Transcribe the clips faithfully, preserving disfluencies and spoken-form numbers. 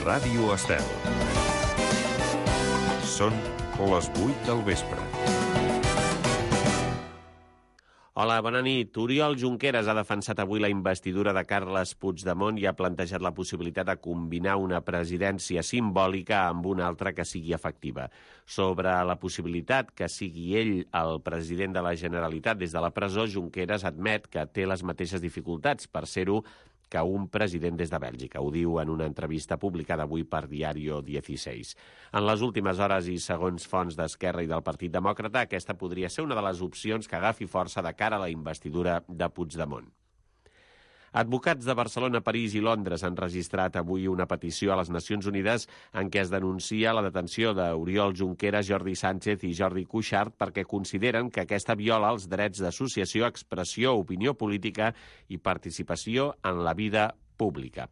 Ràdio Estel. Són les vuit del vespre. Hola, bona nit. Oriol Junqueras ha defensat avui la investidura de Carles Puigdemont i ha plantejat la possibilitat de combinar una presidència simbòlica amb una altra que sigui efectiva. Sobre la possibilitat que sigui ell el president de la Generalitat des de la presó, Junqueras admet que té les mateixes dificultats per ser-ho que un president des de Bèlgica. Ho diu en una entrevista publicada avui per Diario dieciséis. En les últimes hores i segons fonts d'Esquerra i del Partit Demòcrata, aquesta podria ser una de les opcions que agafi força de cara a la investidura de Puigdemont. Advocats de Barcelona, París i Londres han registrat avui una petició a les Nacions Unides en què es denuncia la detenció d'Oriol Junqueras, Jordi Sánchez i Jordi Cuixart perquè consideren que aquesta viola els drets d'associació, expressió, opinió política i participació en la vida pública.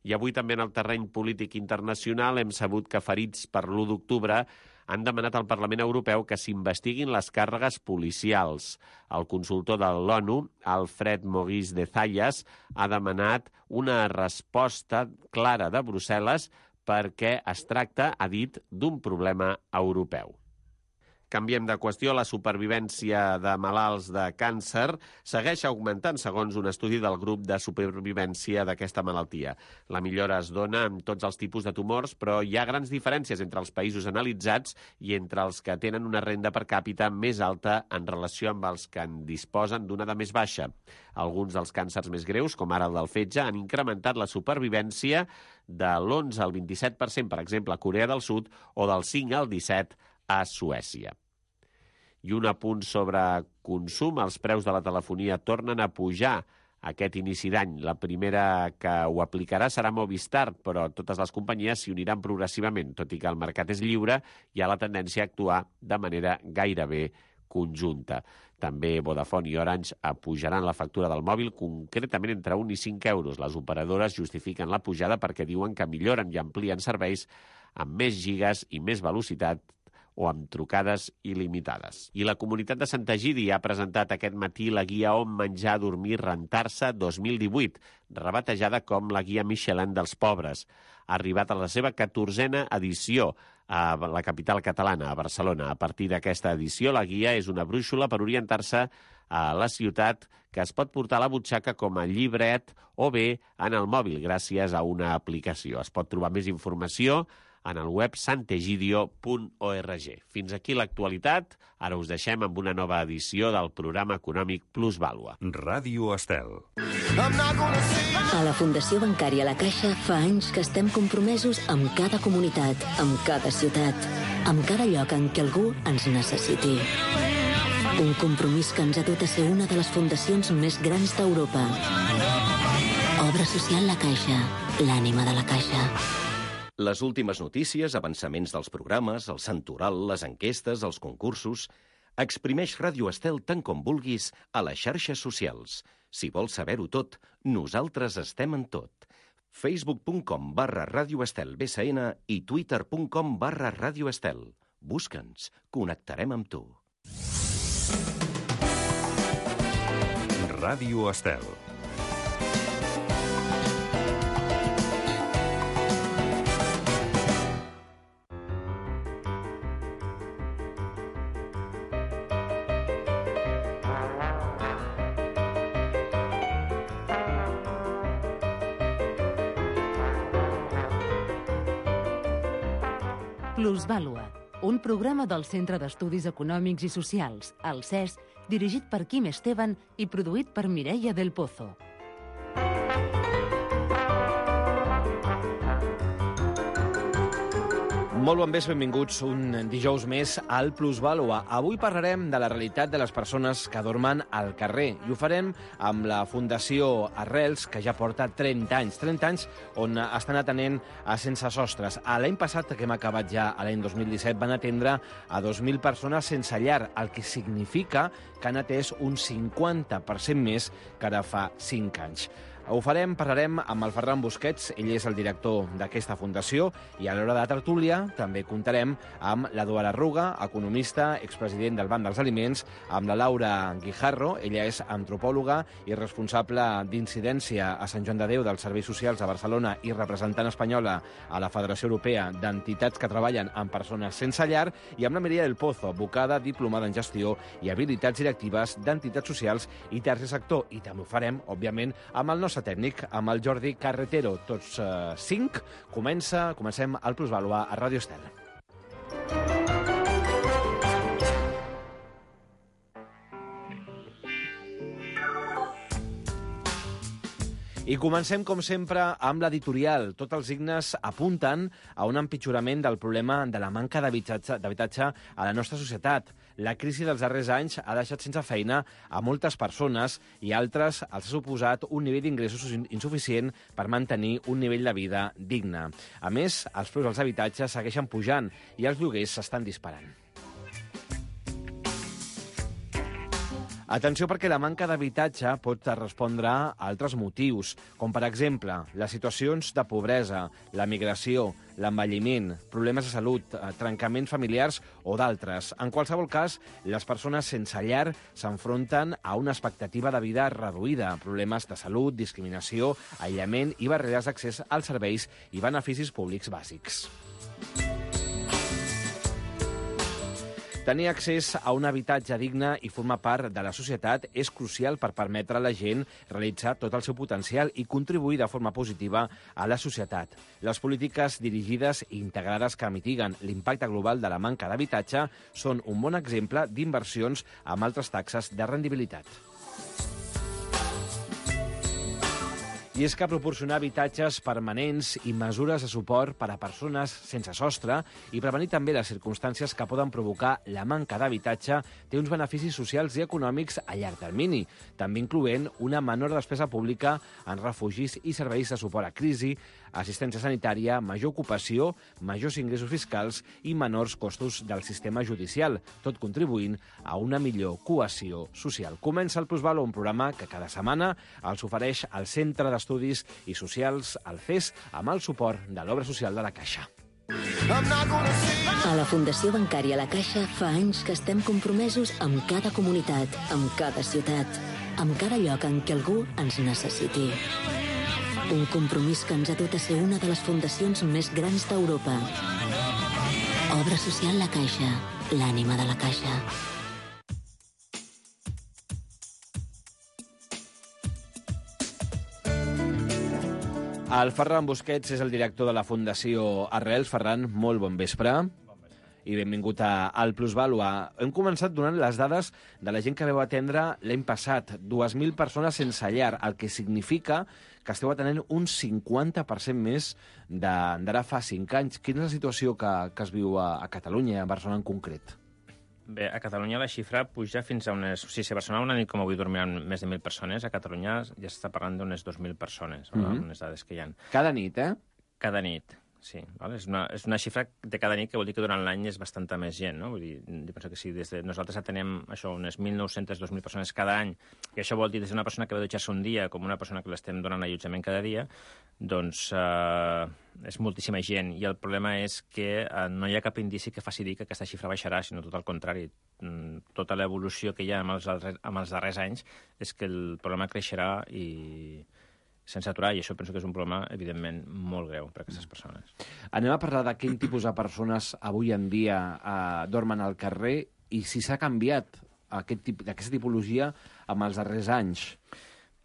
I avui també en el terreny polític internacional hem sabut que ferits per l'u d'octubre han demanat al Parlament Europeu que s'investiguin les càrregues policials. El consultor de l'ONU, Alfred Maurice de Zayas, ha demanat una resposta clara de Brussel·les perquè es tracta, ha dit, d'un problema europeu. Canviem de qüestió. La supervivència de malalts de càncer segueix augmentant segons un estudi del grup de supervivència d'aquesta malaltia. La millora es dona en tots els tipus de tumors, però hi ha grans diferències entre els països analitzats i entre els que tenen una renda per càpita més alta en relació amb els que en disposen d'una de més baixa. Alguns dels càncers més greus, com ara el del fetge, han incrementat la supervivència de l'onze al vint-i-set per cent, per exemple, a Corea del Sud, o del cinc al disset per cent a Suècia. I un apunt sobre consum. Els preus de la telefonia tornen a pujar aquest inici d'any. La primera que ho aplicarà serà Movistar, però totes les companyies s'hi uniran progressivament. Tot i que el mercat és lliure, hi ha la tendència a actuar de manera gairebé conjunta. També Vodafone i Orange apujaran la factura del mòbil, concretament entre un i cinc euros. Les operadores justifiquen la pujada perquè diuen que milloren i amplien serveis amb més gigas i més velocitat o amb trucades il·limitades. I la comunitat de Sant Egidi ha presentat aquest matí la guia On menjar, dormir, rentar-se dos mil divuit, rebatejada com la guia Michelin dels pobres. Ha arribat a la seva catorzena edició a la capital catalana, a Barcelona. A partir d'aquesta edició, la guia és una brúixola per orientar-se a la ciutat que es pot portar a la butxaca com a llibret o bé en el mòbil gràcies a una aplicació. Es pot trobar més informació en el web santegidio punt org. Fins aquí l'actualitat. Ara us deixem amb una nova edició del programa econòmic Plusvàlua. Ràdio Estel. A la Fundació Bancària La Caixa fa anys que estem compromesos amb cada comunitat, amb cada ciutat, amb cada lloc en què algú ens necessiti. Un compromís que ens ha dut a ser una de les fundacions més grans d'Europa. Obra social La Caixa, l'ànima de la Caixa. Les últimes notícies, avançaments dels programes, el santoral, les enquestes, els concursos... Exprimeix Ràdio Estel tant com vulguis a les xarxes socials. Si vols saber-ho tot, nosaltres estem en tot. facebook punt com barra Ràdio Estel B S N i twitter punt com barra Ràdio Estel. Busca'ns, connectarem amb tu. Ràdio Estel. Plusvàlua, un programa del Centre d'Estudis Econòmics i Socials, el C E S, dirigit per Quim Esteban i produït per Mireia del Pozo. Molt bon vespre, benvinguts un dijous més al Plusvàlua. Avui parlarem de la realitat de les persones que dormen al carrer i ho farem amb la Fundació Arrels, que ja porta trenta anys, trenta anys on estan atenent a sense sostres. L'any passat, que hem acabat ja a l'any dos mil disset, van atendre a dos mil persones sense llar, el que significa que han atès un cinquanta per cent més que ara fa cinc anys. Ho farem, parlarem amb el Ferran Busquets, ell és el director d'aquesta fundació, i a l'hora de tertúlia també comptarem amb l'Eduard Arruga, economista, expresident del Banc dels Aliments, amb la Laura Guijarro, ella és antropòloga i responsable d'incidència a Sant Joan de Déu dels Serveis Socials a Barcelona i representant espanyola a la Federació Europea d'Entitats que treballen amb persones sense llar, i amb la Maria del Pozo, advocada, diplomada en gestió i habilitats directives d'entitats socials i tercer sector. I també ho farem, òbviament, amb el nostre tècnic, amb el Jordi Carretero. Tots eh, cinc. Comença, comencem el Plusvàlua a Ràdio Estel. I comencem, com sempre, amb l'editorial. Tots els signes apunten a un empitjorament del problema de la manca d'habitatge a la nostra societat. La crisi dels darrers anys ha deixat sense feina a moltes persones i altres els ha suposat un nivell d'ingressos insuficient per mantenir un nivell de vida digne. A més, els preus dels habitatges segueixen pujant i els lloguers s'estan disparant. Atenció, perquè la manca d'habitatge pot respondre a altres motius, com per exemple les situacions de pobresa, la migració, l'envelliment, problemes de salut, trencaments familiars o d'altres. En qualsevol cas, les persones sense llar s'enfronten a una expectativa de vida reduïda, problemes de salut, discriminació, aïllament i barreres d'accés als serveis i beneficis públics bàsics. Tenir accés a un habitatge digne i formar part de la societat és crucial per permetre a la gent realitzar tot el seu potencial i contribuir de forma positiva a la societat. Les polítiques dirigides i integrades que mitiguen l'impacte global de la manca d'habitatge són un bon exemple d'inversions amb altres taxes de rendibilitat. I és que proporcionar habitatges permanents i mesures de suport per a persones sense sostre i prevenir també les circumstàncies que poden provocar la manca d'habitatge té uns beneficis socials i econòmics a llarg termini, també incloent una menor despesa pública en refugis i serveis de suport a crisi, assistència sanitària, major ocupació, majors ingressos fiscals i menors costos del sistema judicial, tot contribuint a una millor cohesió social. Comença el Plusvàlua, un programa que cada setmana els ofereix el Centre d'Estudis i Socials, el C E S, amb el suport de l'Obra Social de la Caixa. A la Fundació Bancària La Caixa fa anys que estem compromesos amb cada comunitat, amb cada ciutat, amb cada lloc en què algú ens necessiti. Un compromís que ens ha dut a ser una de les fundacions més grans d'Europa. Obra Social La Caixa, l'ànima de la Caixa. El Ferran Busquets és el director de la Fundació Arrels. Ferran, molt bon vespre. I benvingut a, al Plusvàlua. Hem començat donant les dades de la gent que vau atendre l'any passat. dues mil persones sense llar, el que significa que esteu atenent un cinquanta per cent més d'ara fa cinc anys. Quina és la situació que, que es viu a, a Catalunya, a Barcelona en concret? Bé, a Catalunya la xifra puja fins a unes... O sigui, si a Barcelona una nit com avui dormiran més de mil persones, a Catalunya ja s'està parlant d'unes dos mil persones, mm -hmm. unes dades que hi ha. Cada nit, eh? Cada nit, sí. Val? És, una, és una xifra de cada nit que vol dir que durant l'any és bastanta més gent, no? Vull dir, jo penso que si des de nosaltres atenem això, unes mil nou-centes, dos mil persones cada any, i això vol dir des d'una persona que va dutxar-se un dia com una persona que l'estem donant allotjament cada dia, doncs eh, és moltíssima gent. I el problema és que eh, no hi ha cap indici que faci dir que aquesta xifra baixarà, sinó tot el contrari. Mm, tota l'evolució que hi ha amb els, amb els darrers anys és que el problema creixerà i sense aturar, i això penso que és un problema, evidentment, molt greu per a aquestes persones. Anem a parlar de quin tipus de persones avui en dia eh, dormen al carrer i si s'ha canviat aquest tip, aquesta tipologia amb els darrers anys.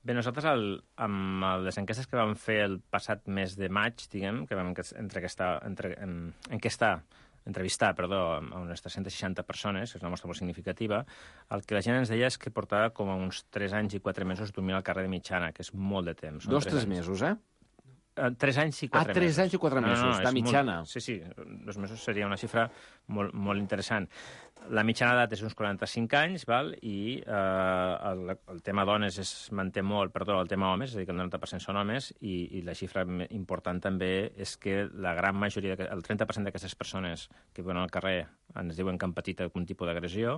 Bé, nosaltres, el, amb les enquestes que vam fer el passat mes de maig, diguem, que vam entrevistar, entre, en, enquestar, entrevistar, perdó, a unes tres-centes seixanta persones, que és una mostra molt significativa, el que la gent ens deia és que portava com a uns tres anys i quatre mesos dormint al carrer de mitjana, que és molt de temps. Dos, tres mesos, eh? Tres anys i quatre mesos. Ah, tres anys i quatre mesos, no, no, no, de mitjana. Molt, sí, sí, dos mesos seria una xifra molt, molt interessant. La mitjana d'edat és uns quaranta-cinc anys, val? I eh, el, el tema dones es manté molt, perdó, el tema homes, és a dir, que el noranta per cent són homes, i, i la xifra important també és que la gran majoria, el trenta per cent d'aquestes persones que viuen al carrer ens diuen que han patit algun tipus d'agressió.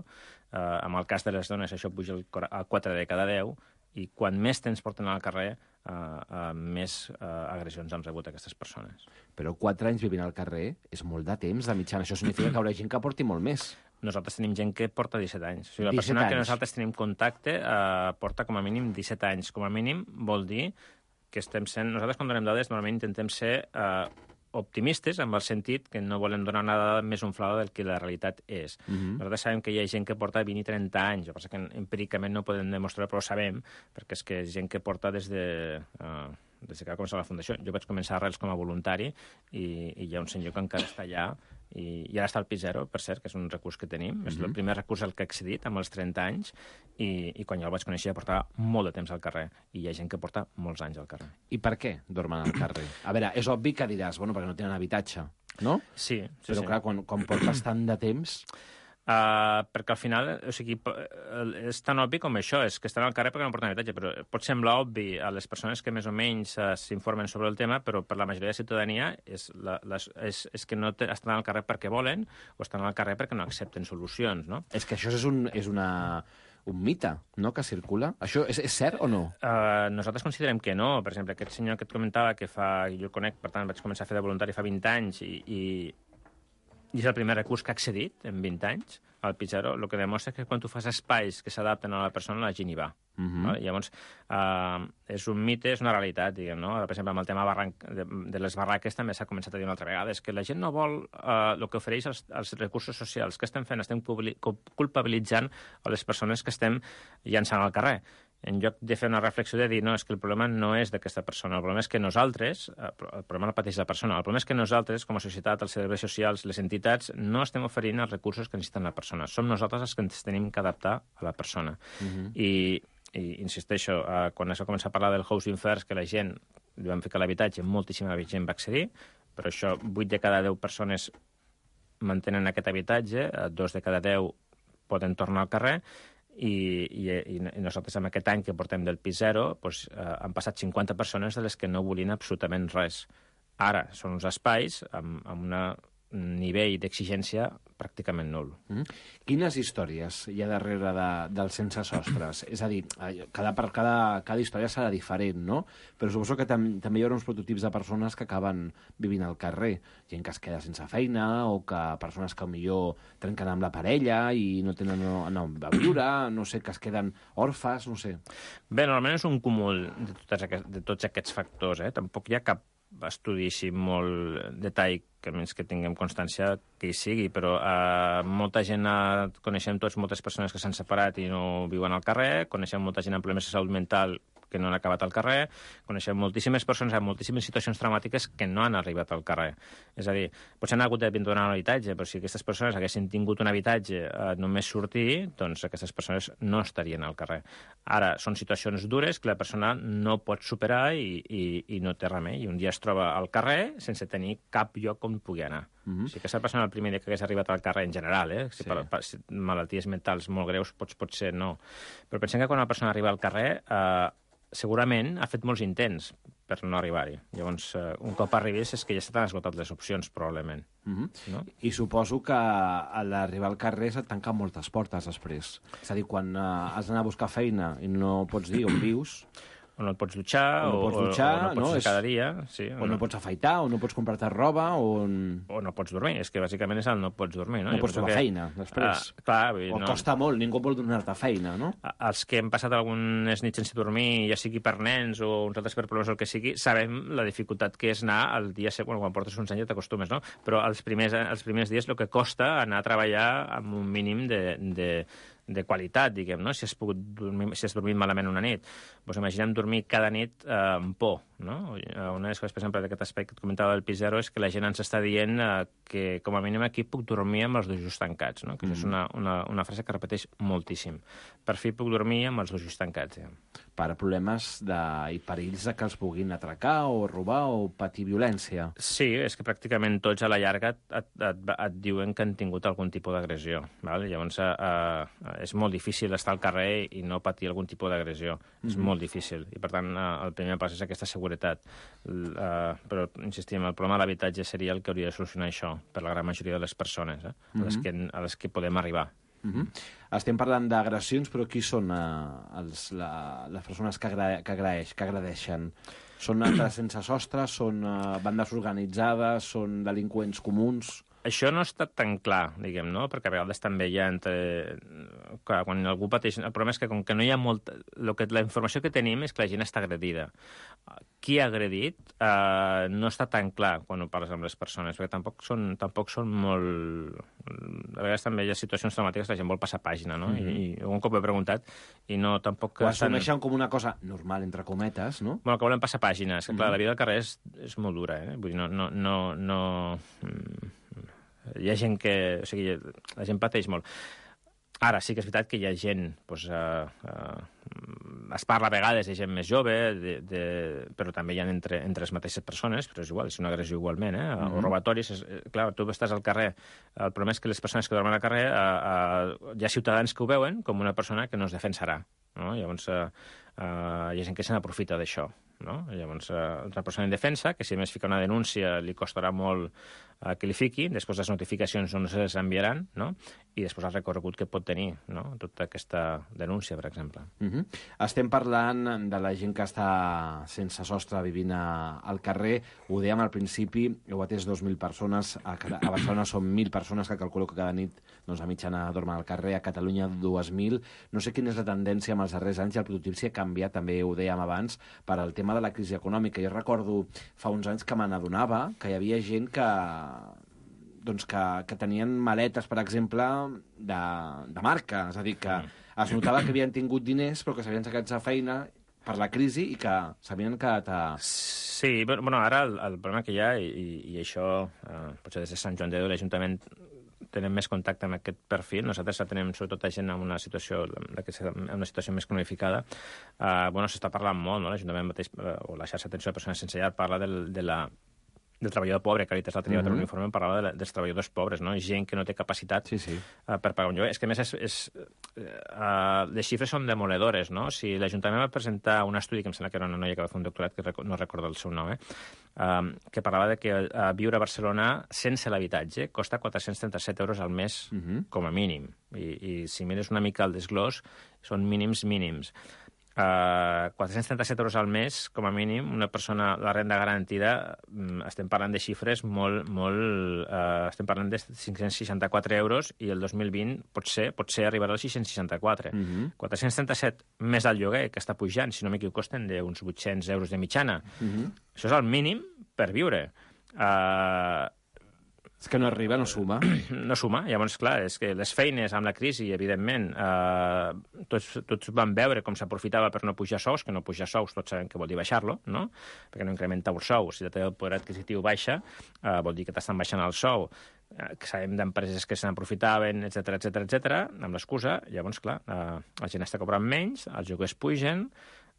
Eh, en el cas de les dones això puja a quatre de cada deu, i quan més temps porten al carrer, uh, uh, més uh, agressions han rebut aquestes persones. Però quatre anys vivint al carrer és molt de temps, de mitjana. Això significa que hi haurà gent que porti molt més. Nosaltres tenim gent que porta disset anys. O sigui, la disset persona anys. que nosaltres tenim contacte uh, porta com a mínim disset anys. Com a mínim vol dir que estem sent... Nosaltres, quan donem dades, normalment intentem ser uh, optimistes, en el sentit que no volem donar una dada més inflada del que la realitat és. Uh -huh. Nosaltres sabem que hi ha gent que porta vint i trenta anys, el que passa que empíricament no podem demostrar, però ho sabem, perquè és que és gent que porta des de... Uh, des que va començar la Fundació. Jo vaig començar a Arrels com a voluntari i, i hi ha un senyor que encara està allà i, i ara està al P zero, per cert, que és un recurs que tenim. Uh-huh. És el primer recurs al que he accedit, amb els trenta anys, i, i quan jo el vaig conèixer ja portava molt de temps al carrer, i hi ha gent que porta molts anys al carrer. I per què dormen al carrer? A veure, és obvi que diràs, bueno, perquè no tenen habitatge, no? Sí, sí, Però sí. clar, quan, quan portes tant de temps... Uh, perquè al final, o sigui, és tan obvi com això, és que estan al carrer perquè no porten habitatge, però pot semblar obvi a les persones que més o menys uh, s'informen sobre el tema, però per la majoria de ciutadania és, la, les, és, és que no te, estan al carrer perquè volen o estan al carrer perquè no accepten solucions, no? És que això és un, és una, un mite, no?, que circula. Això és, és cert o no? Uh, nosaltres considerem que no. Per exemple, aquest senyor que et comentava, que fa, jo el conec, per tant vaig començar a fer de voluntari fa vint anys i, i i és el primer recurs que ha accedit en vint anys al P zero, el que demostra que quan tu fas espais que s'adapten a la persona, la gent hi va. Uh-huh. Vale? Llavors, uh, és un mite, és una realitat, diguem, no? Per exemple, amb el tema barranc, de, de les barraques també s'ha començat a dir una altra vegada, és que la gent no vol uh, el que ofereix els, els recursos socials. Què estem fent? Estem culpabilitzant a les persones que estem llançant al carrer. En lloc de fer una reflexió de dir, no, és que el problema no és d'aquesta persona, el problema és que nosaltres, el problema no pateix la persona, el problema és que nosaltres, com a societat, els serveis socials, les entitats, no estem oferint els recursos que necessiten la persona. Som nosaltres els que ens tenim que adaptar a la persona. Uh-huh. I, i insisteixo, uh, quan es va començar a parlar del housing first, que la gent li van ficar l'habitatge, moltíssima gent va accedir, però això, vuit de cada deu persones mantenen aquest habitatge, dos de cada deu poden tornar al carrer, i, i, i nosaltres amb aquest any que portem del P zero doncs, eh, han passat cinquanta persones de les que no volien absolutament res. Ara són uns espais amb, amb un nivell d'exigència pràcticament nul. Mm. Quines històries hi ha darrere de, dels sense sostres? És a dir, cada, per cada, cada història serà diferent, no? Però suposo que tam, també hi haurà uns prototips de persones que acaben vivint al carrer. Gent que es queda sense feina o que persones que potser trenquen amb la parella i no tenen on a viure, no sé, que es queden orfes, no sé. Bé, normalment és un cúmul de, totes aquest, de tots aquests factors, eh? Tampoc hi ha cap estudi així molt detall, que menys que tinguem constància que hi sigui, però eh, molta gent, eh, coneixem tots moltes persones que s'han separat i no viuen al carrer, coneixem molta gent amb problemes de salut mental que no han acabat al carrer, coneixem moltíssimes persones amb moltíssimes situacions traumàtiques que no han arribat al carrer. És a dir, potser han hagut de donar un habitatge, però si aquestes persones haguessin tingut un habitatge eh, només sortir, doncs aquestes persones no estarien al carrer. Ara, són situacions dures que la persona no pot superar i, i, i no té remei. I un dia es troba al carrer sense tenir cap lloc on pugui anar. Uh-huh. O sigui, aquesta persona el primer dia que hagués arribat al carrer en general, eh? Si sí. per, per si malalties mentals molt greus pots, potser no. Però pensem que quan una persona arriba al carrer eh, segurament ha fet molts intents per no arribar-hi. Llavors, eh, un cop arribis és que ja s'han esgotat les opcions, probablement. Uh-huh. No? I suposo que a l'arribar al carrer se't tanquen moltes portes després. És a dir, quan uh, has d'anar a buscar feina i no pots dir on vius... O no et pots dutxar, o no pots, dutxar, o, o no pots no? fer cada dia. Sí, o, o no, no pots afaitar, o no pots comprar-te roba, o... O no pots dormir, és que bàsicament és el no pots dormir, no? No pots trobar que... feina, després. Ah, clar, vull dir, o no. costa molt, ningú vol donar-te feina, no? Els que hem passat algunes nits sense dormir, ja sigui per nens o uns altres per problemes o el que sigui, sabem la dificultat que és anar el dia següent, quan portes uns anys ja t'acostumes, no? Però els primers, els primers dies el que costa anar a treballar amb un mínim de... de de qualitat, diguem, no? Si has pogut dormir, si has dormit malament una nit. Doncs imaginem dormir cada nit eh, amb por, no? Una de les coses, per exemple, d'aquest aspecte que et comentava del P zero és que la gent ens està dient eh, que, com a mínim, aquí puc dormir amb els dos ulls tancats, no? Que mm. és una, una, una frase que repeteix moltíssim. Per fi puc dormir amb els dos ulls tancats, ja. Per problemes de, i perills de que els puguin atracar o robar o patir violència. Sí, és que pràcticament tots a la llarga et, et, et, et diuen que han tingut algun tipus d'agressió. Val? Llavors, eh, eh, és molt difícil estar al carrer i no patir algun tipus d'agressió. Mm-hmm. És molt difícil. I, per tant, eh, el primer pas és aquesta seguretat. L, eh, però, insistim, el problema de l'habitatge seria el que hauria de solucionar això per la gran majoria de les persones, eh? Mm-hmm. a, les que, a les que podem arribar. Uh-huh. Estem parlant d'agressions, però qui són uh, els, la, les persones que, agra que, agraeix, que agradeixen? Són altres sense sostre? Són uh, bandes organitzades? Són delinqüents comuns? Això no està tan clar, diguem, no? Perquè a vegades també hi ha entre... Clar, quan algú pateix... El problema és que com que no hi ha molt... Lo que, la informació que tenim és que la gent està agredida. Qui ha agredit eh, no està tan clar quan ho parles amb les persones, perquè tampoc són, tampoc són molt... A vegades també hi ha situacions traumàtiques que la gent vol passar pàgina, no? Mm-hmm. I, I un cop he preguntat i no tampoc... Ho assumeixen com una cosa normal, entre cometes, no? Bueno, que volen passar pàgina. És que, clar, mm-hmm. la vida del carrer és, és molt dura, eh? Vull dir, no... no, no, no... Hi ha gent que... O sigui, la gent pateix molt. Ara, sí que és veritat que hi ha gent... Doncs, uh, uh, es parla a vegades de gent més jove, de, de, però també hi ha entre, entre les mateixes persones, però és igual, és una agressió igualment, eh? Mm-hmm. O robatoris... És, clar, tu estàs al carrer. El problema és que les persones que dormen al carrer, uh, uh, hi ha ciutadans que ho veuen com una persona que no es defensarà. No? Llavors, uh, uh, hi ha gent que se n'aprofita d'això. No? Llavors, uh, una persona en defensa, que si a més fica una denúncia li costarà molt uh, que li fiqui, després les notificacions no se les enviaran, no? I després el recorregut que pot tenir, no? Tota aquesta denúncia, per exemple. Uh-huh. Estem parlant de la gent que està sense sostre vivint a, al carrer. Ho dèiem al principi, heu atès dos mil persones, a, a Barcelona són mil persones que calculo que cada nit doncs, a mitjana dormen al carrer, a Catalunya dues mil. No sé quina és la tendència en els darrers anys i el productiu si ha canviat, també ho dèiem abans, per al tema de la crisi econòmica. Jo recordo fa uns anys que me n'adonava que hi havia gent que, doncs que, que tenien maletes, per exemple, de, de marca. És a dir, que es notava que havien tingut diners però que s'havien sacat de feina per la crisi i que s'havien quedat a... Sí, bueno, ara el, el problema que hi ha, i, i això, eh, potser des de Sant Joan de Déu, l'Ajuntament tenem més contacte amb aquest perfil. Nosaltres tenim sobretot a gent en una situació, en una situació més cronificada. Uh, bueno, s'està parlant molt, no? L'Ajuntament mateix, uh, o la xarxa d'atenció a persones sense llar, parla del, de la, del treballador pobre. Càritas l'altre dia va tenir un informe, parlava de la, dels treballadors pobres, no? Gent que no té capacitat sí, sí. Uh, per pagar un lloguer. És que, a més, és, és, uh, les xifres són demoledores, no? Si l'Ajuntament va presentar un estudi, que em sembla que era una noia que va fer un doctorat, que no recordo el seu nom, eh? Um, que parlava de que uh, viure a Barcelona sense l'habitatge costa quatre-cents trenta-set euros al mes, uh-huh. com a mínim. I, i si mires una mica el desglòs, són mínims mínims. Uh, quatre-cents trenta-set euros al mes, com a mínim, una persona, la renda garantida, um, estem parlant de xifres molt, molt... Uh, estem parlant de cinc-cents seixanta-quatre euros i el dos mil vint potser, potser arribarà als sis-cents seixanta-quatre. Uh-huh. quatre-cents trenta-set més al lloguer, que està pujant, si no m'equivoco, costen d'uns vuit-cents euros de mitjana. Uh-huh. Això és el mínim per viure. Uh, És que no arriba, no suma. No suma. Llavors, clar, és que les feines amb la crisi, evidentment, eh, tots, tots van veure com s'aprofitava per no pujar sous, que no pujar sous tots sabem que vol dir baixar-lo, no? Perquè no incrementa el sou. Si el teu poder adquisitiu baixa, eh, vol dir que t'estan baixant el sou. Eh, que sabem d'empreses que se n'aprofitaven, etcètera, etcètera, etcètera, amb l'excusa. Llavors, clar, eh, la gent està cobrant menys, els lloguers pugen,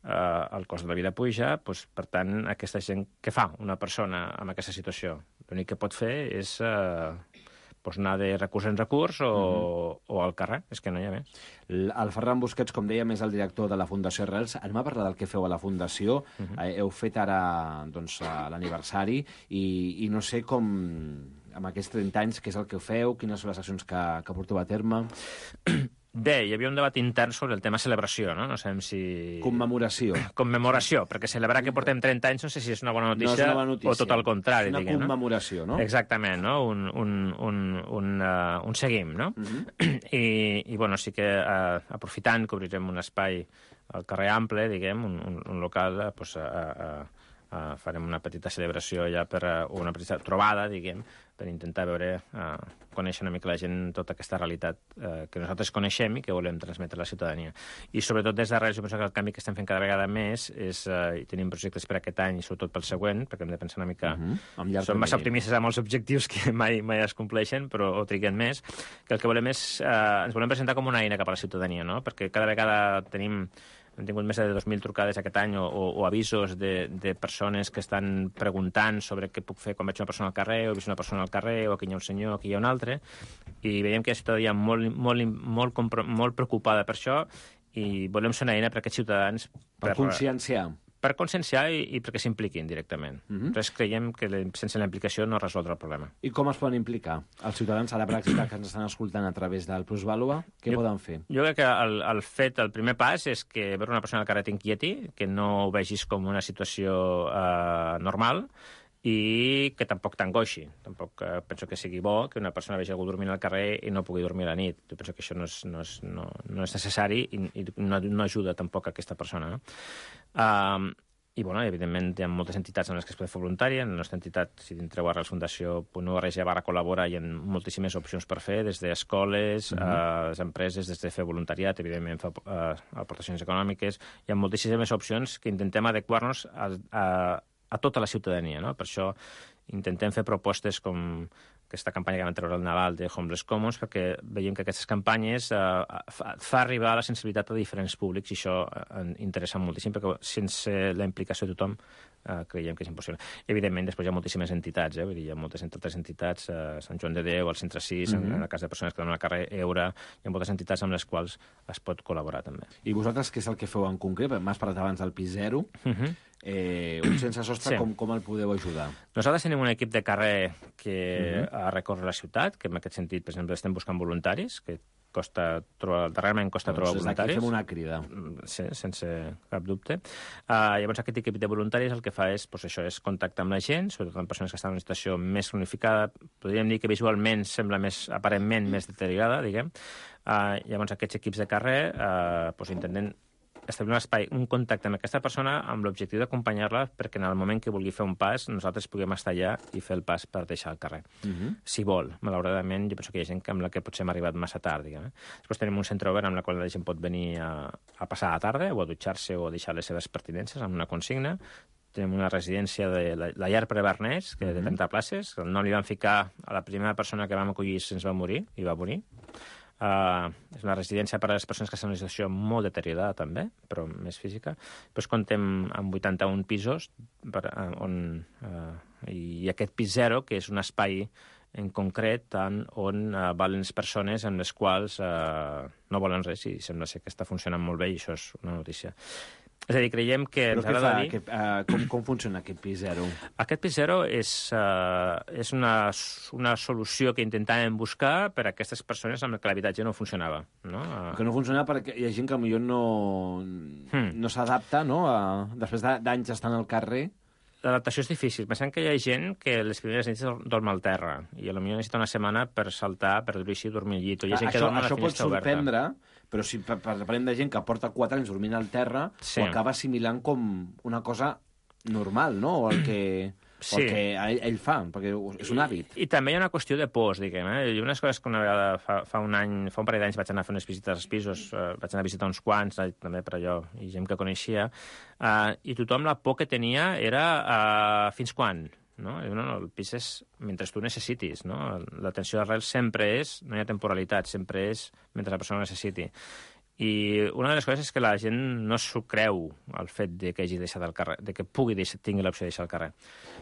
eh, el cost de la vida puja, doncs, per tant, aquesta gent, què fa una persona en aquesta situació? L'únic que pot fer és eh, doncs anar de recurs en recurs o, mm-hmm. o al carrer, és que no hi ha més. El Ferran Busquets, com dèiem, és el director de la Fundació Arrels. Anem a parlar del que feu a la Fundació. Mm-hmm. Eh, heu fet ara doncs, l'aniversari i, i no sé com, amb aquests trenta anys, què és el que feu, quines són les accions que, que porteu a terme... Bé, hi havia un debat intern sobre el tema celebració, no? No sabem si... Commemoració. Commemoració, perquè celebrar que portem trenta anys no sé si és una bona notícia, no és una bona notícia. O tot el contrari. És una diguem, commemoració, no? Exactament, no? Un, un, un, un, uh, un seguim, no? Uh-huh. I, I, bueno, sí que uh, aprofitant que obrirem un espai al carrer Ample, diguem, un, un, un local, uh, pues, uh, uh, uh, farem una petita celebració allà per, uh, o una petita trobada, diguem, per intentar veure, uh, conèixer una mica la gent tota aquesta realitat uh, que nosaltres coneixem i que volem transmetre a la ciutadania. I sobretot des d'Arrels, jo penso que el canvi que estem fent cada vegada més és, uh, i tenim projectes per aquest any i sobretot pel següent, perquè hem de pensar una mica... Uh-huh. Som massa optimistes amb els objectius que mai, mai es compleixen, però o triguen més, que el que volem és... Uh, ens volem presentar com una eina cap a la ciutadania, no? Perquè cada vegada tenim... Hem tingut més de dos mil trucades aquest any o, o, o avisos de, de persones que estan preguntant sobre què puc fer quan veig una persona al carrer, o he vist una persona al carrer, o aquí hi ha un senyor, o aquí hi ha un altre, i veiem que hi ha ciutadania molt, molt, molt, molt preocupada per això, i volem ser una eina per a aquests ciutadans... Per, per conscienciar. per conscienciar i, i perquè s'impliquin directament. Mhm. Nosaltres creiem que le- sense la implicació no resoldre el problema. I com es poden implicar? Els ciutadans a la pràctica que ens estan escoltant a través del Plusvàlua, què Jo- poden fer? Jo crec que el, el fet, el primer pas és que veure una persona al carrer t'inquieti, que no ho vegis com una situació eh, normal, i que tampoc t'angoixi. Tampoc eh, penso que sigui bo que una persona vegi algú dormint al carrer i no pugui dormir a la nit. Jo penso que això no és, no és, no, no és necessari i, i no, no ajuda tampoc a aquesta persona. No? Um, I, bueno, evidentment, hi ha moltes entitats en les que es pot fer voluntari. En la nostra entitat, si entreu a arrels fundació punt org barra col·labora, hi ha moltíssimes opcions per fer, des d'escoles, mm -hmm. uh, les empreses, des de fer voluntariat, evidentment, fer uh, aportacions econòmiques. Hi ha moltíssimes opcions que intentem adequar-nos a, a a tota la ciutadania, no? Per això intentem fer propostes com aquesta campanya que vam treure al Nadal de Homeless Commons, perquè veiem que aquestes campanyes eh, fa, fa arribar la sensibilitat a diferents públics i això eh, interessa moltíssim, perquè sense la implicació de tothom eh, creiem que és impossible. Evidentment, després hi ha moltíssimes entitats, eh? Vull dir, hi ha moltes altres entitats, eh, Sant Joan de Déu, el Centre sis, mm -hmm. en, en el cas de persones que donen al carrer, Eura, hi ha moltes entitats amb les quals es pot col·laborar també. I vosaltres què és el que feu en concret? M'has parlat abans del pis zero. Uh -huh. Eh, un sense sostre, Sí. com, com el podeu ajudar? Nosaltres tenim un equip de carrer que Mhm. uh -huh. recorre la ciutat, que en aquest sentit, per exemple, estem buscant voluntaris, que costa trobar, darrerament costa Doncs trobar des d'aquí voluntaris. fem una crida. Sí, sense cap dubte. Uh, llavors, aquest equip de voluntaris el que fa és, doncs, això, és contactar amb la gent, sobretot amb persones que estan en una situació més cronificada, podríem dir que visualment sembla més, aparentment, més deteriorada, diguem. Uh, llavors, aquests equips de carrer uh, doncs, intenten establir un espai, un contacte amb aquesta persona amb l'objectiu d'acompanyar-la perquè en el moment que vulgui fer un pas nosaltres puguem estar allà i fer el pas per deixar el carrer. Uh -huh. Si vol. Malauradament, jo penso que hi ha gent amb la que potser hem arribat massa tard, diguem. Eh? Després tenim un centre obert amb el qual la gent pot venir a, a passar la tarda o a dutxar-se o a deixar les seves pertinences amb una consigna. Tenim una residència de la, la llar Prevernès, que uh -huh. de trenta places, que el nom li van ficar a la primera persona que vam acollir se'ns va morir, i va morir. Uh, és una residència per a les persones que estan en una situació molt deteriorada, també, però més física. Després comptem amb vuitanta-un pisos per, uh, on, uh, i aquest pis zero, que és un espai en concret en on uh, valen les persones en les quals uh, no volen res i sembla ser que està funcionant molt bé i això és una notícia. És a dir, creiem que Però ens què fa? agrada dir... Que, uh, com, com funciona aquest pis zero? Aquest pis zero és, uh, és una, una solució que intentàvem buscar per a aquestes persones amb què l'habitatge no funcionava. No? Uh, Que no funciona perquè hi ha gent que potser no, Hmm. no s'adapta, no? A, després de- d'anys estant al carrer. L'adaptació és difícil. Pensem que hi ha gent que les primeres nits dorm al terra i potser necessita una setmana per saltar, per dormir-s'hi i dormir al llit. O hi ha gent que això dorm a la això pot finestra oberta. sorprendre, però si pa- pa- parlem de gent que porta quatre anys dormint al terra, Sí. ho acaba assimilant com una cosa normal, no? O el que, Sí. o el que ell, ell fa, perquè és un hàbit. I, I també hi ha una qüestió de pors, diguem. Eh? Hi ha unes coses que una vegada, fa, fa un any, fa un parell d'anys vaig anar a fer unes visites als pisos, eh, vaig anar a visitar uns quants, eh, també per allò, i gent que coneixia, eh, i tothom la por que tenia era eh, fins quan? No? I, no, no, el pis és mentre tu necessitis, no? L'atenció d'arrel sempre és, no hi ha temporalitat, sempre és mentre la persona ho necessiti. I una de les coses és que la gent no s'ho creu, el fet de que hagi deixat el carrer, de que pugui deixar, tingui l'opció de deixar el carrer.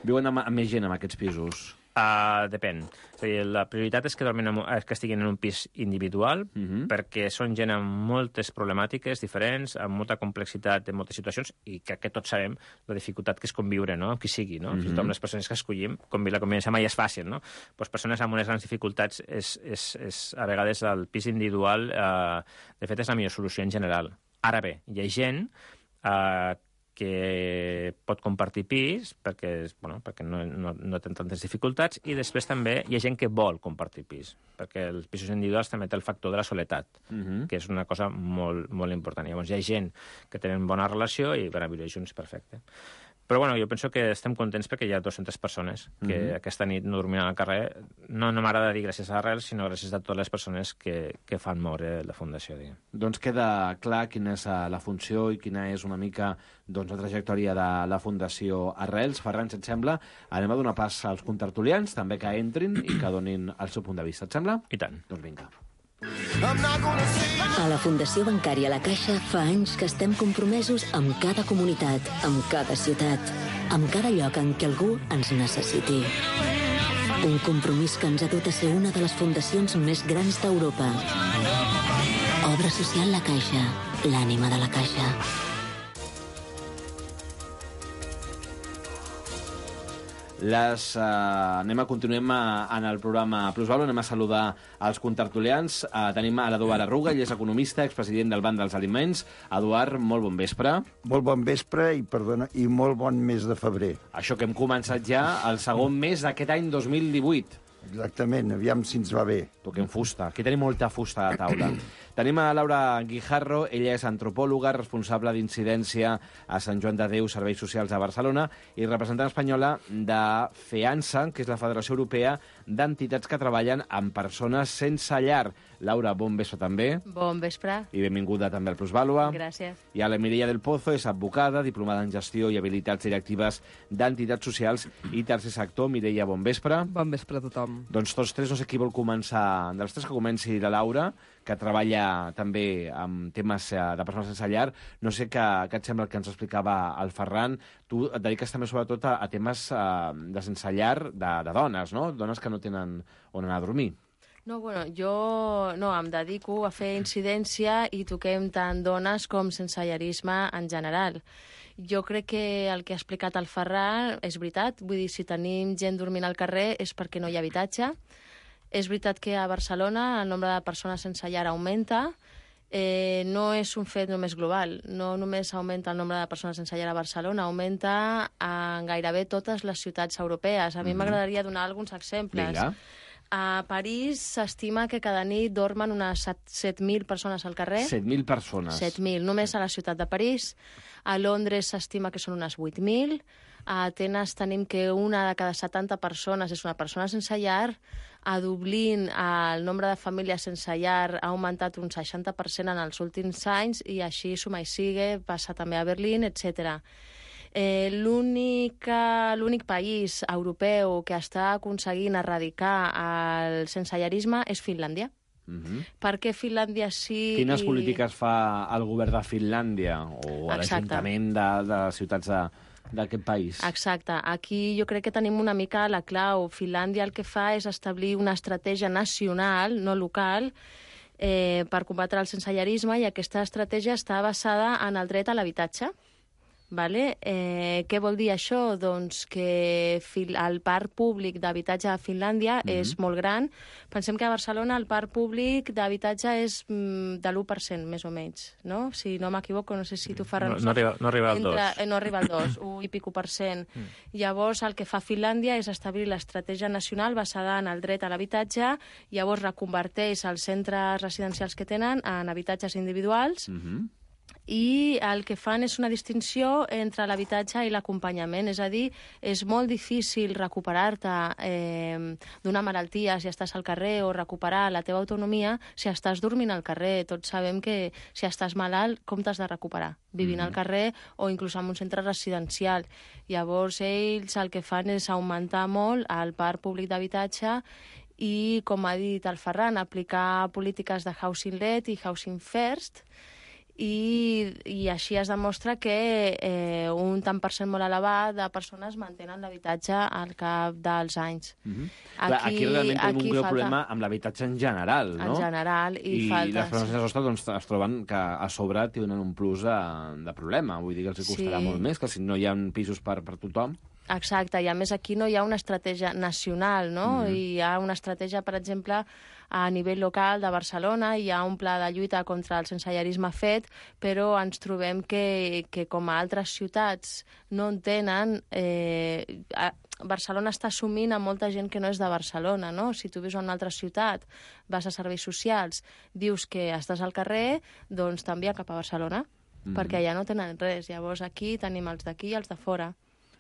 Viuen amb, amb més gent en aquests pisos. Uh, depèn. És a dir, la prioritat és que, dormin en, un- que estiguin en un pis individual, Uh -huh. perquè són gent amb moltes problemàtiques diferents, amb molta complexitat en moltes situacions, i crec que tots sabem la dificultat que és conviure, no?, amb qui sigui, no? Uh -huh. Fins i tot amb les persones que escollim, convi la convivència mai és fàcil, no? Pues persones amb unes grans dificultats, és, és, és a vegades el pis individual, eh, de fet, és la millor solució en general. Ara bé, hi ha gent eh, que pot compartir pis perquè, bueno, perquè no, no, no té tantes dificultats, i després també hi ha gent que vol compartir pis, perquè els pisos individuals també té el factor de la soledat, Uh -huh. que és una cosa molt, molt important. Llavors hi ha gent que tenen bona relació i per a viure junts perfecte. Però bueno, jo penso que estem contents perquè hi ha dues-centes persones que Mhm. aquesta nit no dormiran al carrer. No, no m'agrada dir gràcies a Arrels, sinó gràcies a totes les persones que, que fan moure la Fundació. Diguem. Doncs queda clar quina és eh, la funció i quina és una mica doncs, la trajectòria de la Fundació Arrels. Ferran, si et sembla, anem a donar pas als contertulians, també que entrin i que donin el seu punt de vista. Et sembla? I tant. Doncs vinga. A la Fundació Bancària La Caixa fa anys que estem compromesos amb cada comunitat, amb cada ciutat, amb cada lloc en què algú ens necessiti. Un compromís que ens ha dut a ser una de les fundacions més grans d'Europa. Obra social La Caixa, l'ànima de la Caixa. Les, uh, anem a continuem a, en el programa Plusvalor, anem a saludar els contertulians. Uh, tenim a l'Eduard Arruga, ell és economista, expresident del Banc dels Aliments. Eduard, molt bon vespre. Molt bon vespre i, perdona, i molt bon mes de febrer. Això que hem començat ja el segon mes d'aquest any dos mil divuit. Exactament, aviam si ens va bé. Toquem fusta, aquí tenim molta fusta a la taula. Tenim a Laura Guijarro, ella és antropòloga, responsable d'incidència a Sant Joan de Déu, Serveis Socials de Barcelona, i representant espanyola de FEANSA, que és la Federació Europea d'Entitats que treballen amb persones sense llar. Laura, bon vespre també. Bon vespre. I benvinguda també al Plusvalua. Gràcies. I a la Mireia del Pozo, és advocada, diplomada en gestió i habilitats directives d'entitats socials i tercer sector. Mireia, bon vespre. Bon vespre a tothom. Doncs tots tres, no sé qui vol començar. Dels tres que comenci la Laura, que treballa també amb temes de persones sense llar. No sé què, què et sembla el que ens explicava el Ferran. Tu et dediques també sobretot a, a temes uh, de sense llar de, de dones, no? Dones que no tenen on anar a dormir. No, bueno, jo no, em dedico a fer incidència i toquem tant dones com sensellarisme en general. Jo crec que el que ha explicat el Ferran és veritat. Vull dir, si tenim gent dormint al carrer és perquè no hi ha habitatge. És veritat que a Barcelona el nombre de persones sense llar augmenta. Eh, no és un fet només global. No només augmenta el nombre de persones sense llar a Barcelona, augmenta en gairebé totes les ciutats europees. A mi m'agradaria mm-hmm. donar alguns exemples. Vinga. A París s'estima que cada nit dormen unes set mil persones al carrer. set mil persones. set mil, només a la ciutat de París. A Londres s'estima que són unes vuit mil. A Atenes tenim que una de cada setanta persones és una persona sense llar. A Dublín el nombre de famílies sense llar ha augmentat un seixanta per cent en els últims anys i així suma i sigue, passa també a Berlín, etcètera. Eh, l'únic, l'únic país europeu que està aconseguint erradicar el sensellarisme és Finlàndia. Mm-hmm. Per què Finlàndia sí... Quines i... polítiques fa el govern de Finlàndia o l'Ajuntament de, de les ciutats de, d'aquest país? Exacte. Aquí jo crec que tenim una mica la clau. Finlàndia el que fa és establir una estratègia nacional, no local, eh, per combatre el sensellarisme, i aquesta estratègia està basada en el dret a l'habitatge. Vale? Eh, què vol dir això? Doncs que el parc públic d'habitatge a Finlàndia mm-hmm. és molt gran. Pensem que a Barcelona el parc públic d'habitatge és mm, de l'u per cent, més o menys. No? Si no m'equivoco, no sé si tu, Ferran... No, no, arriba, no arriba al dos. Eh, no arriba al dos, un i pico per cent. Mm. Llavors, el que fa Finlàndia és establir l'estratègia nacional basada en el dret a l'habitatge, llavors reconverteix els centres residencials que tenen en habitatges individuals, mm-hmm. i el que fan és una distinció entre l'habitatge i l'acompanyament. És a dir, és molt difícil recuperar-te eh, d'una malaltia si estàs al carrer o recuperar la teva autonomia si estàs dormint al carrer. Tots sabem que si estàs malalt, com t'has de recuperar? Vivint mm-hmm. al carrer o inclús en un centre residencial. Llavors, ells el que fan és augmentar molt el parc públic d'habitatge i, com ha dit el Ferran, aplicar polítiques de housing led i housing first, I, i així es demostra que eh, un tant per cent molt elevat de persones mantenen l'habitatge al cap dels anys. Mm-hmm. Aquí, Clar, aquí realment tenim aquí un greu falta... problema amb l'habitatge en general, no? En general, i, I falta... I les persones sense sostre doncs, es troben que a sobre tenen un plus de, de problema. Vull dir que els costarà sí. molt més, que si no hi ha pisos per, per tothom... Exacte, i a més aquí no hi ha una estratègia nacional, no? Mm. Hi ha una estratègia, per exemple, a nivell local de Barcelona, hi ha un pla de lluita contra el sensellarisme fet, però ens trobem que, que com a altres ciutats no en tenen... Eh, a, Barcelona està assumint a molta gent que no és de Barcelona, no? Si tu vius en una altra ciutat, vas a serveis socials, dius que estàs al carrer, doncs t'envia cap a Barcelona, mm. perquè allà no tenen res. Llavors aquí tenim els d'aquí i els de fora.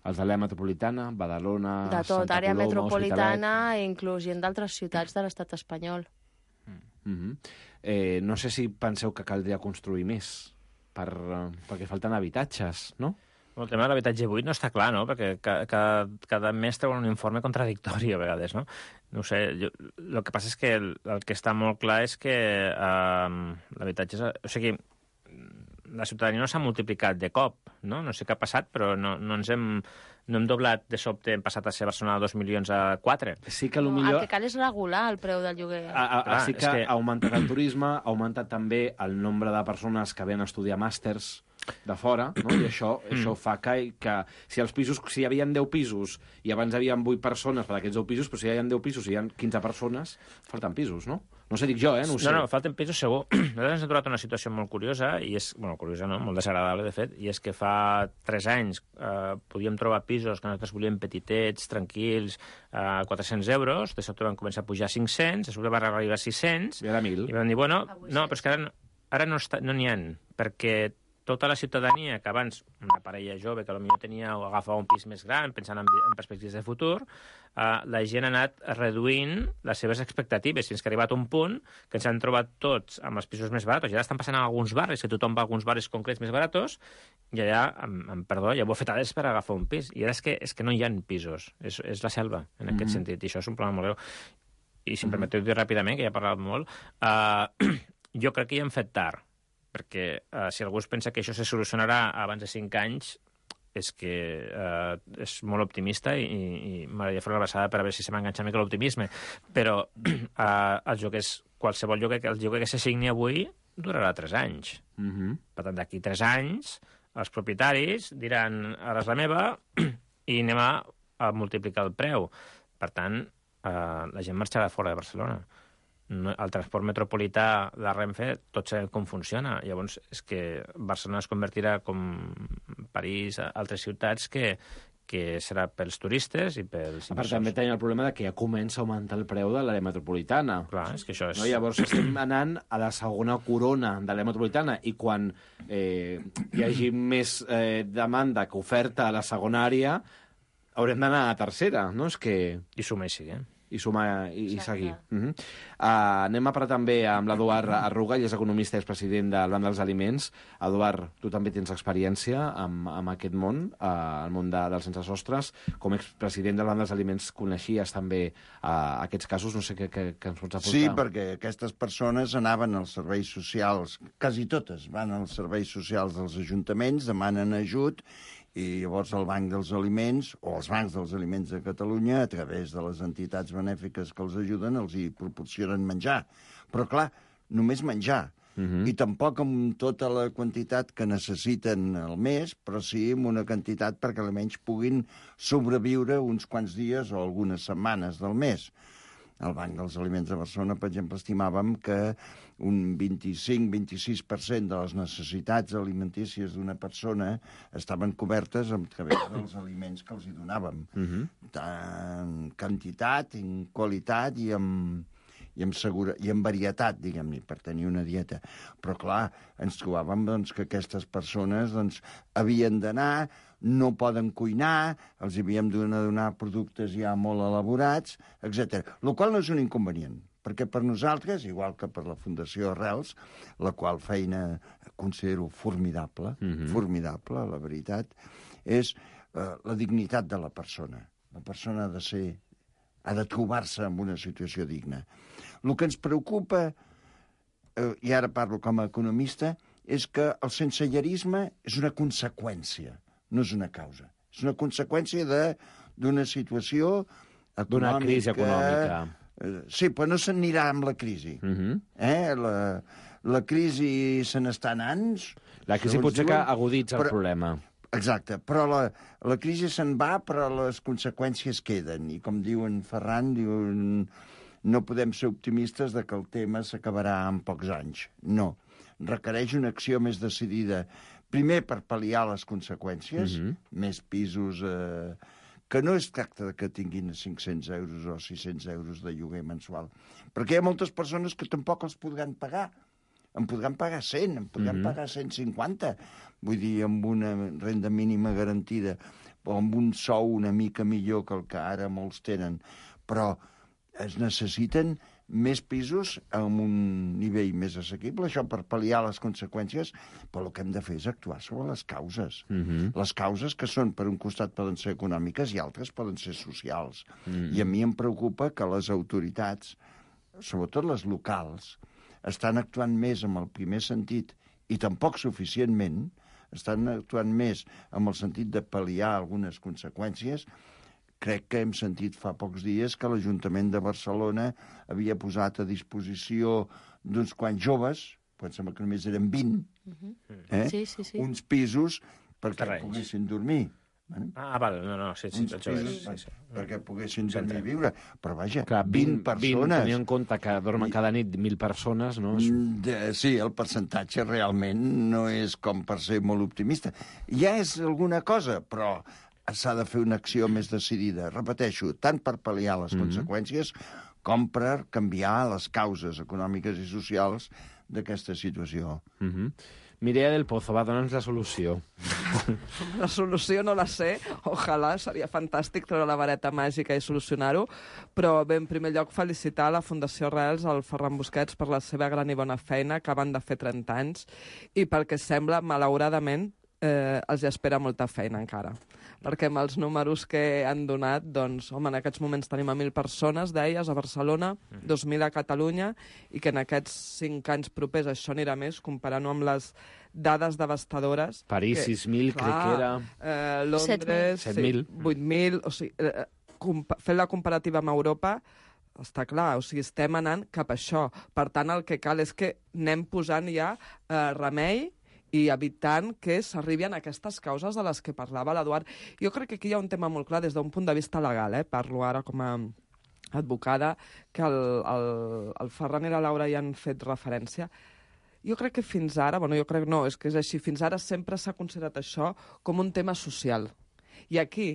Els de l'àrea metropolitana, Badalona, de tot, Santa àrea Coloma, metropolitana i inclús gent d'altres ciutats de l'estat espanyol. Mm-hmm. Eh, no sé si penseu que caldria construir més, per, perquè falten habitatges, no? El tema de l'habitatge buit no està clar, no? Perquè cada, cada mes treuen un informe contradictori a vegades, no? No ho sé, jo, el que passa és que el, el que està molt clar és que eh, l'habitatge... És, o sigui, la ciutadania no s'ha multiplicat de cop, no? No sé què ha passat, però no, no ens hem... No hem doblat de sobte, hem passat a ser Barcelona dos milions a quatre. Sí que no, millor... El que cal és regular el preu del lloguer. A, a, Clar, sí que, que ha augmentat el turisme, ha augmentat també el nombre de persones que venen a estudiar màsters. de fora, no? I això, això fa que, que si els pisos, si hi havia deu pisos i abans hi havia vuit persones per aquests deu pisos, però si hi ha deu pisos i hi ha quinze persones, falten pisos, no? No sé, dic jo, eh? No ho sé. No, no, falten pisos segur. Nosaltres ens hem trobat una situació molt curiosa, i és, bueno, curiosa no, molt desagradable, de fet, i és que fa tres anys eh, podíem trobar pisos que nosaltres volíem petitets, tranquils, a eh, quatre-cents euros, de sobte van començar a pujar a cinc-cents, de sobte van arribar a sis-cents, I ara mil. I vam dir, bueno, no, però és que ara, ara no n'hi no ha, perquè tota la ciutadania, que abans una parella jove que potser tenia o agafava un pis més gran, pensant en, en perspectives de futur, eh, la gent ha anat reduint les seves expectatives, fins que ha arribat un punt que ens han trobat tots amb els pisos més baratos. I ara estan passant a alguns barris, que tothom va a alguns barris concrets més baratos, i allà, amb, amb perdó, hi ha bofetades per agafar un pis. I ara és que, és que no hi ha pisos, és, és la selva, en aquest mm-hmm. sentit, i això és un problema molt greu. I si em mm-hmm. permeteu dir ràpidament, que ja he parlat molt, eh, jo crec que hi hem fet tard, perquè eh, si algú es pensa que això se solucionarà abans de cinc anys, és que eh, és molt optimista i, i m'agradaria fer una abraçada per a veure si se m'enganxa mica l'optimisme. Però eh, els lloguers, qualsevol lloguer, el lloguer que se signi avui durarà tres anys. Mm-hmm. Per tant, d'aquí tres anys, els propietaris diran, ara és la meva, i anem a, a multiplicar el preu. Per tant, eh, la gent marxarà fora de Barcelona. No, el transport metropolità de Renfe, tot sabem com funciona. Llavors, és que Barcelona es convertirà com París, altres ciutats, que, que serà pels turistes i pels inversors. A part, també tenim el problema de que ja comença a augmentar el preu de l'àrea metropolitana. Clar, és que això és... No? Llavors estem anant a la segona corona de l'àrea metropolitana, i quan eh, hi hagi més eh, demanda que oferta a la segona àrea, haurem d'anar a la tercera, no? És que... I sumar i seguir, eh? i sumar i, i seguir. Uh -huh. uh, anem a parlar també amb l'Eduard Arruga, ell és economista i és president del Banc dels Aliments. Eduard, tu també tens experiència amb, amb aquest món, uh, el món de, dels sense sostres. Com a expresident del Banc dels Aliments coneixies també uh, aquests casos, no sé què, què, què ens pots aportar. Sí, perquè aquestes persones anaven als serveis socials, quasi totes van als serveis socials dels ajuntaments, demanen ajut, i llavors el Banc dels Aliments, o els Bancs dels Aliments de Catalunya, a través de les entitats benèfiques que els ajuden, els hi proporcionen menjar. Però, clar, només menjar. Uh-huh. I tampoc amb tota la quantitat que necessiten al mes, però sí amb una quantitat perquè almenys puguin sobreviure uns quants dies o algunes setmanes del mes. Al Banc dels Aliments de Barcelona, per exemple, estimàvem que un vint-i-cinc a vint-i-sis per cent de les necessitats alimentícies d'una persona estaven cobertes a través dels aliments que els hi donàvem. Uh-huh. Tant quantitat, en qualitat i en, i en, segura, i en varietat, diguem-ne, per tenir una dieta. Però, clar, ens trobàvem doncs, que aquestes persones doncs, havien d'anar, no poden cuinar, els havíem de donar productes ja molt elaborats, etcètera. El qual no és un inconvenient, perquè per nosaltres, igual que per la Fundació Arrels, la qual feina considero formidable, mm-hmm. formidable, la veritat, és eh, la dignitat de la persona. La persona ha de ser, ha de trobar-se en una situació digna. El que ens preocupa, eh, i ara parlo com a economista, és que el sensellarisme és una conseqüència, no és una causa. És una conseqüència d'una situació econòmica... D'una crisi econòmica. Sí, però no se'n anirà amb la crisi. Uh-huh. eh? la, la crisi se n'està anant... La crisi potser que aguditza el problema. Exacte, però la, la crisi se'n va, però les conseqüències queden. I com diuen Ferran, diuen, no podem ser optimistes de que el tema s'acabarà en pocs anys. No. Requereix una acció més decidida. Primer, per pal·liar les conseqüències, uh-huh. més pisos... Eh, que no es tracta de que tinguin cinc-cents euros o sis-cents euros de lloguer mensual, perquè hi ha moltes persones que tampoc els podran pagar. En podran pagar cent, en podran uh-huh. pagar cent cinquanta, vull dir, amb una renda mínima garantida, o amb un sou una mica millor que el que ara molts tenen. Però es necessiten més pisos amb un nivell més assequible, això per pal·liar les conseqüències, però el que hem de fer és actuar sobre les causes. Uh-huh. Les causes que són, per un costat, poden ser econòmiques i altres poden ser socials. Uh-huh. I a mi em preocupa que les autoritats, sobretot les locals, estan actuant més amb el primer sentit i tampoc suficientment, estan actuant més amb el sentit de pal·liar algunes conseqüències. Crec que hem sentit fa pocs dies que l'Ajuntament de Barcelona havia posat a disposició d'uns quants joves, però em sembla que només eren vint, eh? Sí, sí, sí. uns pisos perquè Terrenys. poguessin dormir. Ah, val, no, no, sí, sí, Uns això és. pisos Sí, sí. perquè poguessin dormir i viure. Però vaja, Clar, vint persones... Tenint en compte que dormen cada nit mil persones, no? És... Mm, de- Sí, el percentatge realment no és com per ser molt optimista. Ja és alguna cosa, però s'ha de fer una acció més decidida. Repeteixo, tant per pal·liar les Mhm. conseqüències com per canviar les causes econòmiques i socials d'aquesta situació. Mhm. Mireia del Pozo, va, dona'ns la solució. La solució no la sé, ojalà, seria fantàstic treure la vareta màgica i solucionar-ho, però bé, en primer lloc felicitar la Fundació Arrels, al Ferran Busquets, per la seva gran i bona feina, que van de fer trenta anys, i pel que sembla, malauradament, eh, els espera molta feina encara. Perquè amb els números que han donat, doncs, home, en aquests moments tenim a mil persones, deies, a Barcelona, dos mil a Catalunya, i que en aquests cinc anys propers això anirà més, comparant-ho amb les dades devastadores. París, que, sis mil, crec que era... Eh, Londres, set mil. sí, vuit mil, o sigui, eh, compa- fent la comparativa amb Europa, està clar, o sigui, estem anant cap a això. Per tant, el que cal és que anem posant ja eh, remei i evitant que s'arribi a aquestes causes de les que parlava l'Eduard. Jo crec que aquí hi ha un tema molt clar des d'un punt de vista legal, eh? Parlo ara com a advocada, que el, el, el Ferran i la Laura hi han fet referència. Jo crec que fins ara, bueno, jo crec no, és que és així, fins ara sempre s'ha considerat això com un tema social. I aquí,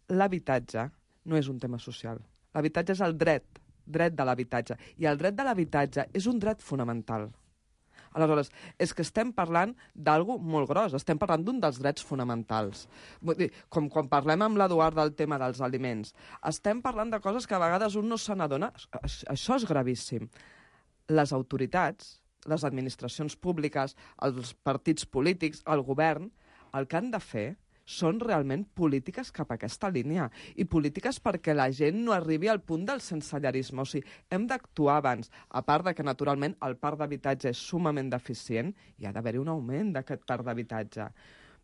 l'habitatge no és un tema social. L'habitatge és el dret, dret de l'habitatge. I el dret de l'habitatge és un dret fonamental. Aleshores, és que estem parlant d'algo molt gros, estem parlant d'un dels drets fonamentals. Vull dir, com quan parlem amb l'Eduard del tema dels aliments, estem parlant de coses que a vegades un no se n'adona. Això és gravíssim. Les autoritats, les administracions públiques, els partits polítics, el govern, el que han de fer són realment polítiques cap a aquesta línia i polítiques perquè la gent no arribi al punt del sensellarisme. O sigui, hem d'actuar abans. A part de que, naturalment, el parc d'habitatge és sumament deficient i ha d'haver-hi un augment d'aquest parc d'habitatge.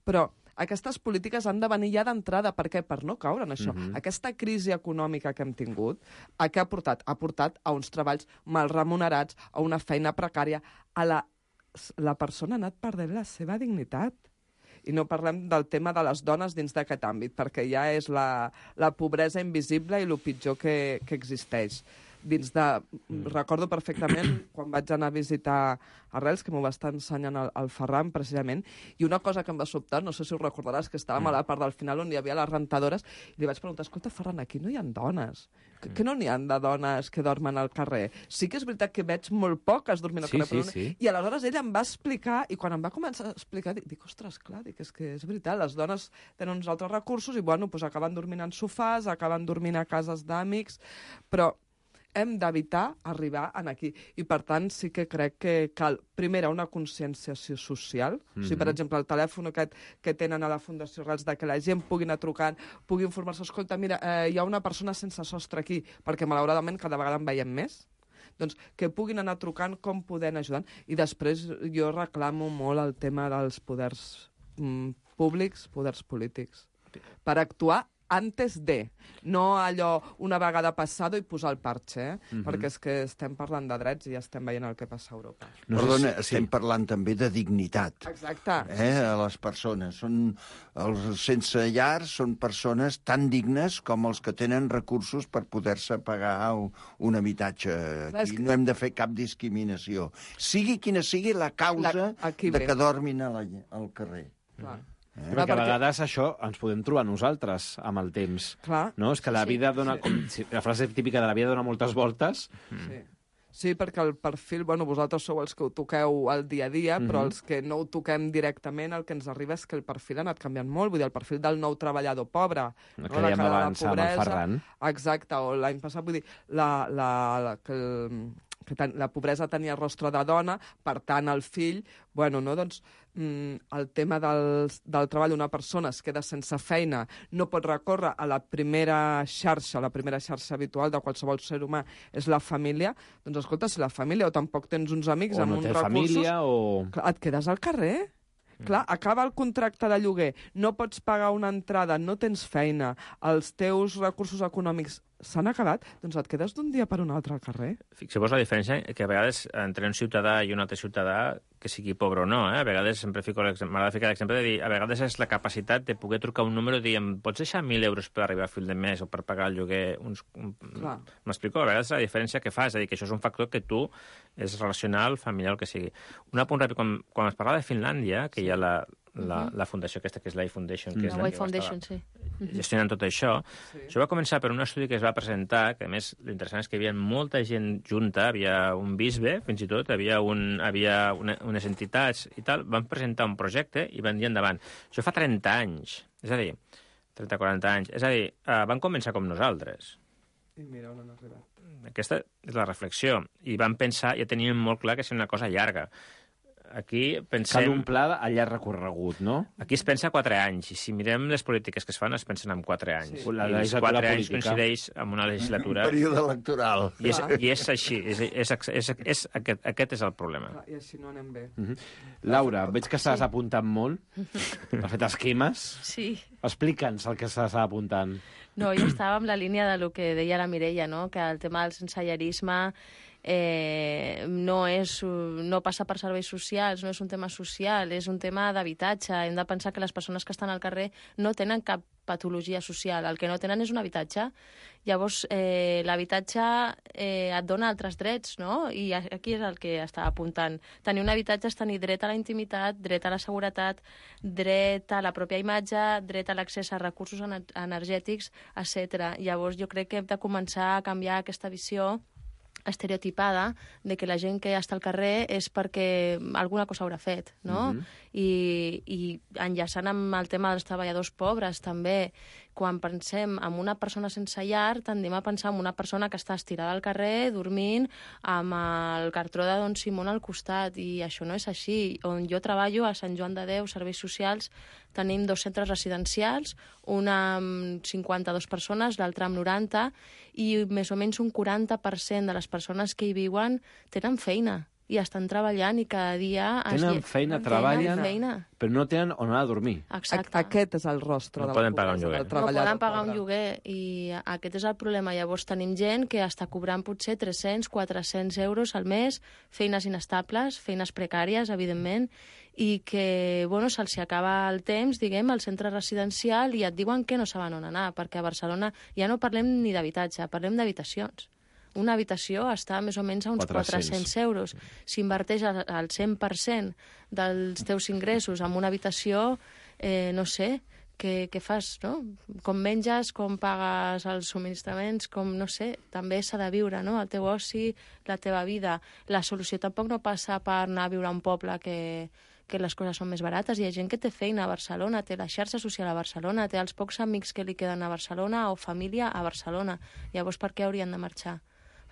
Però aquestes polítiques han de venir ja d'entrada. Per què? Per no caure en això. Mm-hmm. Aquesta crisi econòmica que hem tingut, a què ha portat? Ha portat a uns treballs mal remunerats, a una feina precària, a la... La persona ha anat perdent la seva dignitat. I no parlem del tema de les dones dins d'aquest àmbit, perquè ja és la, la pobresa invisible i el pitjor que, que existeix. Dins de... Recordo perfectament quan vaig anar a visitar Arrels, que m'ho va estar ensenyant el, el Ferran, precisament, i una cosa que em va sobtar, no sé si ho recordaràs, que estàvem a la part del final on hi havia les rentadores, i li vaig preguntar, escolta, Ferran, aquí no hi ha dones. Que, que no n'hi ha de dones que dormen al carrer? Sí que és veritat que veig molt poques dormint al Sí, Mm. carrer, sí, però no... sí. I aleshores ella em va explicar, i quan em va començar a explicar, dic, dic ostres, clar, dic, és que és veritat, les dones tenen uns altres recursos i, bueno, doncs acaben dormint en sofàs, acaben dormint a cases d'amics, però hem d'evitar arribar en aquí. I, per tant, sí que crec que cal, primera, una conscienciació social. Mm-hmm. O sigui, per exemple, el telèfon aquest que tenen a la Fundació Arrels, de que la gent pugui anar trucant, pugui informar-se, escolta, mira, eh, hi ha una persona sense sostre aquí, perquè, malauradament, cada vegada en veiem més. Doncs que puguin anar trucant, com podem ajudar. I després jo reclamo molt el tema dels poders mm, públics, poders polítics, per actuar antes de, no allò una vegada passada i posar el parche, eh? Mm-hmm. Perquè és que estem parlant de drets i ja estem veient el que passa a Europa. No Perdona, si, estem sí. parlant també de dignitat. Exacte. Eh, a les persones. Són, els sense llar són persones tan dignes com els que tenen recursos per poder-se pagar un habitatge. Aquí que... no hem de fer cap discriminació. Sigui quina sigui la causa la... de ve. que dormin a la, al carrer. Clar. Eh? Perquè a vegades això ens podem trobar nosaltres amb el temps. Clar. No? És que la vida sí, dona... Sí. Com, la frase típica de la vida dona moltes voltes. Sí. Sí, perquè el perfil, bueno, vosaltres sou els que ho toqueu al dia a dia, mm-hmm. però els que no ho toquem directament, el que ens arriba és que el perfil ha anat canviant molt. Vull dir, el perfil del nou treballador pobre, el que no? dèiem abans amb el Ferran. Exacte, o l'any passat, vull dir, la, la, la, que el, que ten, la pobresa tenia rostre de dona, per tant, el fill, bueno, no, doncs, mm, el tema del, del treball d'una persona es queda sense feina, no pot recórrer a la primera xarxa, la primera xarxa habitual de qualsevol ser humà és la família, doncs escolta, si la família o tampoc tens uns amics o amb no uns té recursos... família o... Clar, et quedes al carrer. Mm. Clar, acaba el contracte de lloguer, no pots pagar una entrada, no tens feina, els teus recursos econòmics s'han acabat, doncs et quedes d'un dia per un altre al carrer. Fixeu-vos la diferència, que a vegades entre un ciutadà i un altre ciutadà, que sigui pobre o no, eh? A vegades sempre fico m'agrada ficar l'exemple de dir, a vegades és la capacitat de poder trucar un número i dir, em pots deixar mil euros per arribar a fi de mes o per pagar el lloguer? Uns... M'explico? A vegades la diferència que fa, és a dir, que això és un factor que tu és relacional, familiar, el que sigui. Un apunt ràpid, quan, quan es parla de Finlàndia, que hi ha la, la, la fundació aquesta, que és l'I Foundation, que és la la que Foundation, sí. gestionant tot això, sí. Això va començar per un estudi que es va presentar, que a més l'interessant és que hi havia molta gent junta, havia un bisbe, fins i tot, havia, un, havia una, unes entitats i tal, van presentar un projecte i van dir endavant. Això fa trenta anys, és a dir, trenta a quaranta anys, és a dir, uh, van començar com nosaltres. I mira on han arribat. Aquesta és la reflexió. I van pensar, ja tenien molt clar que és una cosa llarga. Aquí pensem... Cal un pla a llarg recorregut, no? Aquí es pensa quatre anys, i si mirem les polítiques que es fan, es pensen en quatre anys. Sí. La I els quatre política. anys coincideix amb una legislatura... Un període electoral. I és, i és així, és, és, és, és, és, aquest, aquest és el problema. Clar, I així no anem bé. Uh -huh. Laura, veig que estàs sí. apuntant molt. Has fet esquemes. Sí. Explica'ns el que estàs apuntant. No, jo estava amb la línia de lo que deia la Mireia, no? Que el tema del sensellarisme eh, no, és, no passa per serveis socials, no és un tema social, és un tema d'habitatge. Hem de pensar que les persones que estan al carrer no tenen cap patologia social, el que no tenen és un habitatge. Llavors, eh, l'habitatge eh, et dona altres drets, no? I aquí és el que estava apuntant. Tenir un habitatge és tenir dret a la intimitat, dret a la seguretat, dret a la pròpia imatge, dret a l'accés a recursos energètics, etcètera. Llavors, jo crec que hem de començar a canviar aquesta visió estereotipada de que la gent que està al carrer és perquè alguna cosa haurà fet, no? Uh-huh. I, i enllaçant amb el tema dels treballadors pobres, també, quan pensem en una persona sense llar, tendim a pensar en una persona que està estirada al carrer, dormint, amb el cartró de Don Simón al costat, i això no és així. On jo treballo, a Sant Joan de Déu, Serveis Socials, tenim dos centres residencials, una amb cinquanta-dues persones, l'altra amb noranta, i més o menys un quaranta per cent de les persones que hi viuen tenen feina i estan treballant i cada dia... Tenen es... feina, tenen treballen, feina. però no tenen on anar a dormir. Exacte. Aquest és el rostre no de la poden pagar un lloguer. No poden pagar un lloguer i aquest és el problema. Llavors tenim gent que està cobrant potser tres-cents, quatre-cents euros al mes, feines inestables, feines precàries, evidentment, i que, bueno, se'ls acaba el temps, diguem, al centre residencial i et diuen que no saben on anar, perquè a Barcelona ja no parlem ni d'habitatge, parlem d'habitacions. Una habitació està més o menys a uns quatre-cents euros. Si inverteix el cent per cent dels teus ingressos en una habitació, eh, no sé, què, què fas, no? Com menges, com pagues els subministraments, com, no sé, també s'ha de viure, no? El teu oci, la teva vida. La solució tampoc no passa per anar a viure a un poble que, que les coses són més barates. Hi ha gent que té feina a Barcelona, té la xarxa social a Barcelona, té els pocs amics que li queden a Barcelona o família a Barcelona. Llavors, per què haurien de marxar?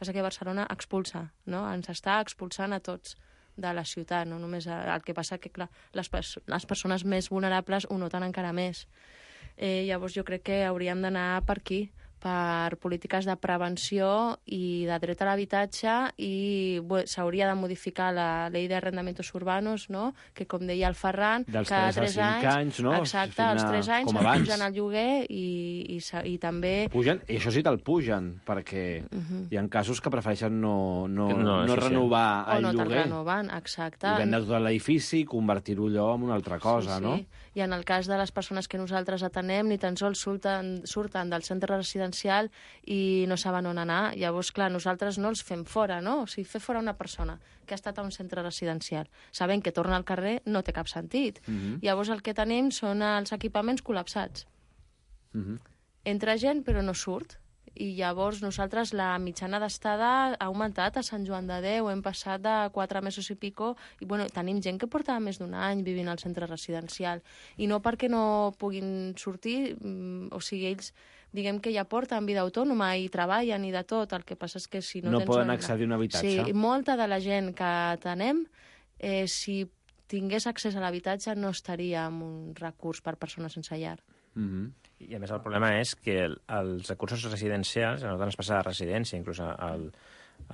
Passa que Barcelona expulsa, no? Ens està expulsant a tots de la ciutat, no només el que passa que, clar, les, les persones més vulnerables ho noten encara més. Eh, llavors jo crec que hauríem d'anar per aquí, per polítiques de prevenció i de dret a l'habitatge, i bueno, s'hauria de modificar la llei d'arrendamientos urbanos, no? Que, com deia el Ferran, dels cada tres anys, anys, no? Exacte, als tres anys pugen el lloguer i, i, i també... Pugen, i això sí te'l pugen, perquè uh-huh. hi ha casos que prefereixen no, no, no, no renovar sí. el o no lloguer. O no te'l renoven, exacte. I vendre tot l'edifici i convertir-ho allò en una altra cosa, sí, sí. no? I en el cas de les persones que nosaltres atenem, ni tan sols surten, surten del centre residencial i no saben on anar. Llavors, clar, nosaltres no els fem fora, no? O sigui, fer fora una persona que ha estat a un centre residencial, sabent que torna al carrer, no té cap sentit. Uh-huh. Llavors, el que tenim són els equipaments col·lapsats. Uh-huh. Entra gent, però no surt. I llavors nosaltres la mitjana d'estada ha augmentat a Sant Joan de Déu, hem passat de quatre mesos i pico, i bueno, tenim gent que portava més d'un any vivint al centre residencial, i no perquè no puguin sortir, o sigui, ells diguem que ja porten vida autònoma i treballen i de tot, el que passa és que si no, no tens... No poden accedir a un habitatge. Sí, molta de la gent que tenem, eh, si tingués accés a l'habitatge no estaria en un recurs per persones sense llar. Mm-hmm. I a més el problema és que el, els recursos residencials, a nosaltres ens passa a residència, inclús a, a,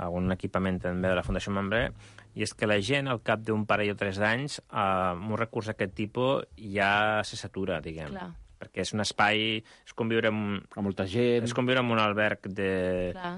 a un equipament també de la Fundació Mambré, i és que la gent al cap d'un parell o tres d'anys, eh, amb un recurs d'aquest tipus ja se satura, diguem. Clar. perquè és un espai... És com viure en... Amb molta gent... És com viure en un alberg de... Clar.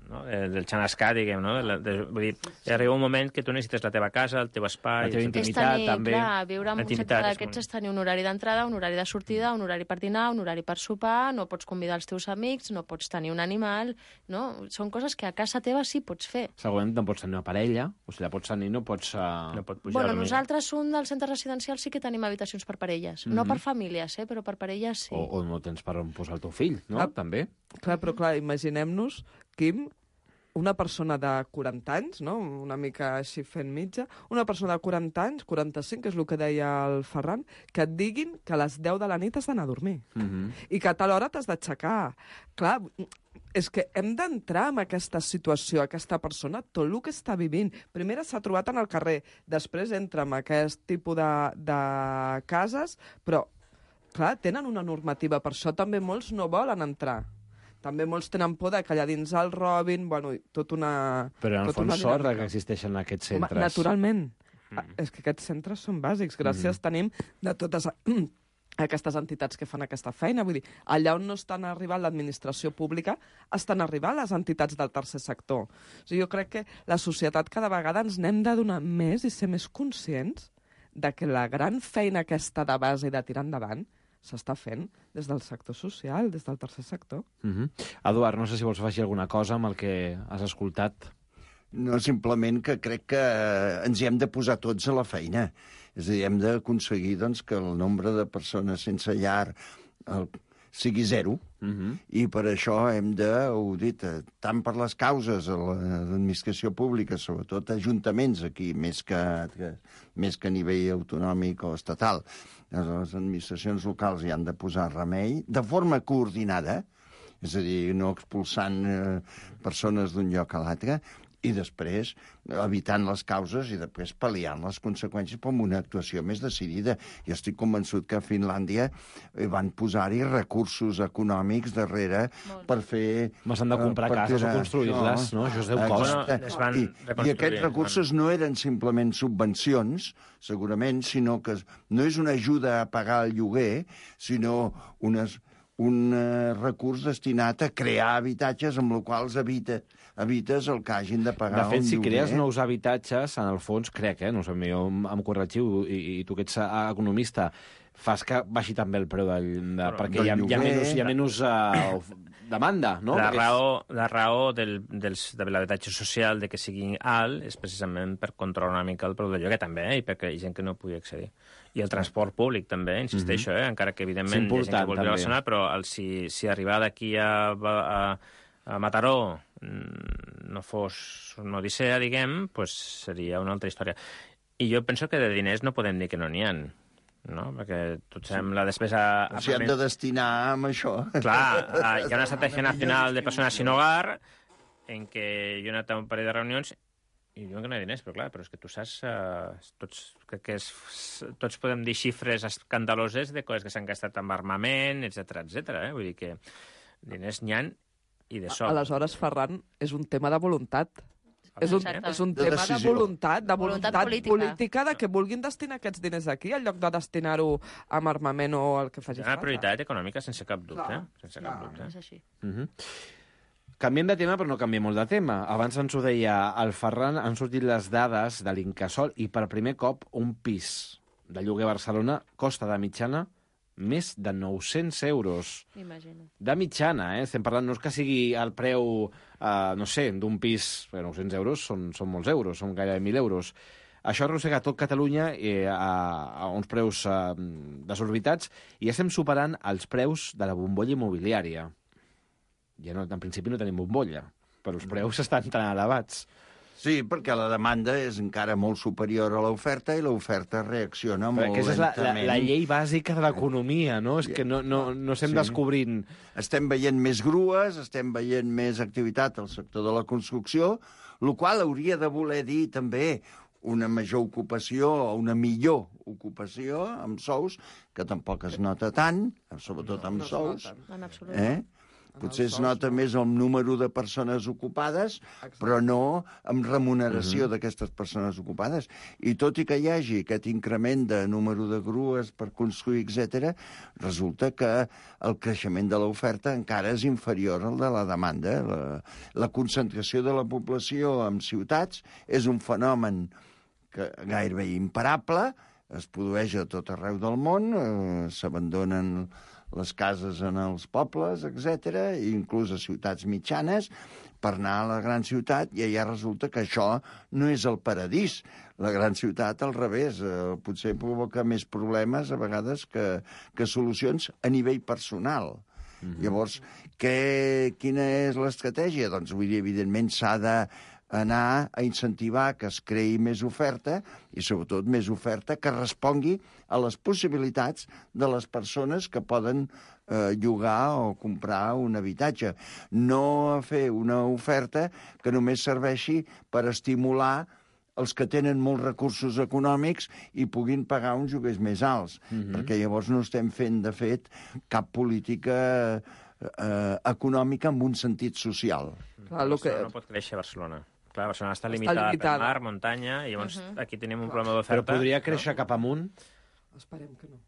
No? Del xanascà, diguem, no? De, de, vull dir, arriba un moment que tu necessites la teva casa, el teu espai... La teva intimitat, tenir, també. Clar, viure en un centre d'aquests és tenir un horari d'entrada, un horari de sortida, un horari per dinar, un horari per sopar, no pots convidar els teus amics, no pots tenir un animal, no? Són coses que a casa teva sí pots fer. Segurament no pots tenir una parella, o si la pots tenir no pots... Uh... No pot pujar Bueno, a dormir. nosaltres, un dels centres residencials, sí que tenim habitacions per parelles. Mm-hmm. No per famílies, eh? Però per parelles sí. O, o no tens per on posar el teu fill, no? Ah, també. Clar, però clar, imaginem-nos, Quim, una persona de quaranta anys, no? Una mica així fent mitja, una persona de quaranta anys, quaranta-cinc, que és el que deia el Ferran, que et diguin que a les deu de la nit has d'anar a dormir. Mm-hmm. I que a tal hora t'has d'aixecar. Clar, és que hem d'entrar en aquesta situació, aquesta persona, tot el que està vivint. Primer s'ha trobat en el carrer, després entra en aquest tipus de, de cases, però, clar, tenen una normativa, per això també molts no volen entrar. També molts tenen por de que allà dins el robin, bueno, tot una... Però en el tot una fons sort dinàmica. que existeixen aquests centres. Home, naturalment. Mm. Mm. És que aquests centres són bàsics. Gràcies mm. tenim de totes aquestes entitats que fan aquesta feina. Vull dir, allà on no estan arribant l'administració pública, estan arribant les entitats del tercer sector. O sigui, jo crec que la societat cada vegada ens n'hem de donar més i ser més conscients de que la gran feina aquesta de base i de tirar endavant s'està fent des del sector social, des del tercer sector. Mm-hmm. Eduard, no sé si vols afegir alguna cosa amb el que has escoltat. No, simplement que crec que ens hi hem de posar tots a la feina. És a dir, hem d'aconseguir doncs, que el nombre de persones sense llar el, sigui zero, Mm-hmm. i per això hem de, ho he dit, tant per les causes a l'administració pública, sobretot ajuntaments aquí, més que, que, més que a nivell autonòmic o estatal, les administracions locals hi han de posar remei, de forma coordinada, és a dir, no expulsant eh, persones d'un lloc a l'altre, i després evitant les causes i després pal·liant les conseqüències amb una actuació més decidida. Jo estic convençut que a Finlàndia van posar-hi recursos econòmics darrere per fer... Mas han de comprar uh, cases o construir-les, no? no? Això es deu cost. Bueno, I, I aquests recursos no eren simplement subvencions, segurament, sinó que no és una ajuda a pagar el lloguer, sinó unes, un uh, recurs destinat a crear habitatges amb els quals evita evites el que hagin de pagar de fet, un si lloguer. crees nous habitatges, en el fons, crec, eh, no sé, jo em, em corregiu, i, i tu que ets economista, fas que baixi també el preu del, de, Però, perquè del hi ha, hi ha lloguer. menys, hi ha menys uh, demanda, no? La Perquè raó, la raó del, dels, de l'habitatge social de que sigui alt és precisament per controlar una mica el preu del lloguer també, eh, i perquè hi ha gent que no pugui accedir. I el transport públic també, insisteixo, eh, encara que evidentment hi ha gent que vol viure a Barcelona, però el, si, si arribar d'aquí a, a, a Mataró no fos una odissea, diguem, pues seria una altra història. I jo penso que de diners no podem dir que no n'hi ha, no? Perquè tot sabem la despesa... O sigui, hem de destinar amb això. Clar, hi ha una estratègia nacional de persones sin hogar en què jo he anat a un parell de reunions i diuen que no hi ha diners, però clar, però és que tu saps... Uh, tots, crec que és, tots podem dir xifres escandaloses de coses que s'han gastat amb armament, etcètera, etcètera. Eh? Vull dir que diners n'hi ha i de sol. Aleshores, Ferran, és un tema de voluntat. És un, Exacte. és un De tema de decisió. voluntat, de Voluntat voluntat, política. política, de que vulguin destinar aquests diners aquí en lloc de destinar-ho amb armament o el que faci Hi ha una falta. prioritat econòmica sense cap dubte. Clar, Eh? Sense clar. cap dubte. És així. Uh-huh. Canviem de tema, però no canviem molt de tema. Abans ens ho deia el Ferran, han sortit les dades de l'Incasòl i per primer cop un pis de lloguer a Barcelona costa de mitjana més de nou-cents euros. Imagina't. De mitjana, eh? Estem parlant, no és que sigui el preu, eh, no sé, d'un pis, perquè nou-cents euros són, són molts euros, són gairebé mil euros. Això arrossega tot Catalunya eh, a, a uns preus eh, desorbitats i estem superant els preus de la bombolla immobiliària. Ja no, en principi no tenim bombolla, però els preus estan tan elevats. Sí, perquè la demanda és encara molt superior a l'oferta i l'oferta reacciona Però molt aquesta és la, la, lentament. la llei bàsica de l'economia, no? És que no, no, no estem Sí. descobrint... Estem veient més grues, estem veient més activitat al sector de la construcció, el qual hauria de voler dir també una major ocupació o una millor ocupació amb sous, que tampoc es nota tant, sobretot amb no es sous. nota. En absolut. Eh? Potser es nota més el número de persones ocupades, però no amb remuneració d'aquestes persones ocupades. I tot i que hi hagi aquest increment de número de grues per construir, etcètera, resulta que el creixement de l'oferta encara és inferior al de la demanda. La, la concentració de la població en ciutats és un fenomen que gairebé imparable, es produeix a tot arreu del món, eh, s'abandonen les cases en els pobles, etcètera, inclús a ciutats mitjanes, per anar a la gran ciutat, i allà resulta que això no és el paradís. La gran ciutat, al revés, eh, potser provoca més problemes a vegades que, que solucions a nivell personal. Mm-hmm. Llavors, què, quina és l'estratègia? Doncs, vull dir, evidentment, s'ha de anar a incentivar que es creï més oferta i, sobretot, més oferta que respongui a les possibilitats de les persones que poden eh, llogar o comprar un habitatge. No fer una oferta que només serveixi per estimular els que tenen molts recursos econòmics i puguin pagar uns lloguers més alts, mm-hmm. perquè llavors no estem fent, de fet, cap política eh, econòmica en un sentit social. Clar, lo que... No pot créixer a Barcelona. Clar, Barcelona està limitada, està limitada. per mar, muntanya, i llavors uh-huh. aquí tenim un problema d'oferta. Però podria créixer no? cap amunt? Esperem que no.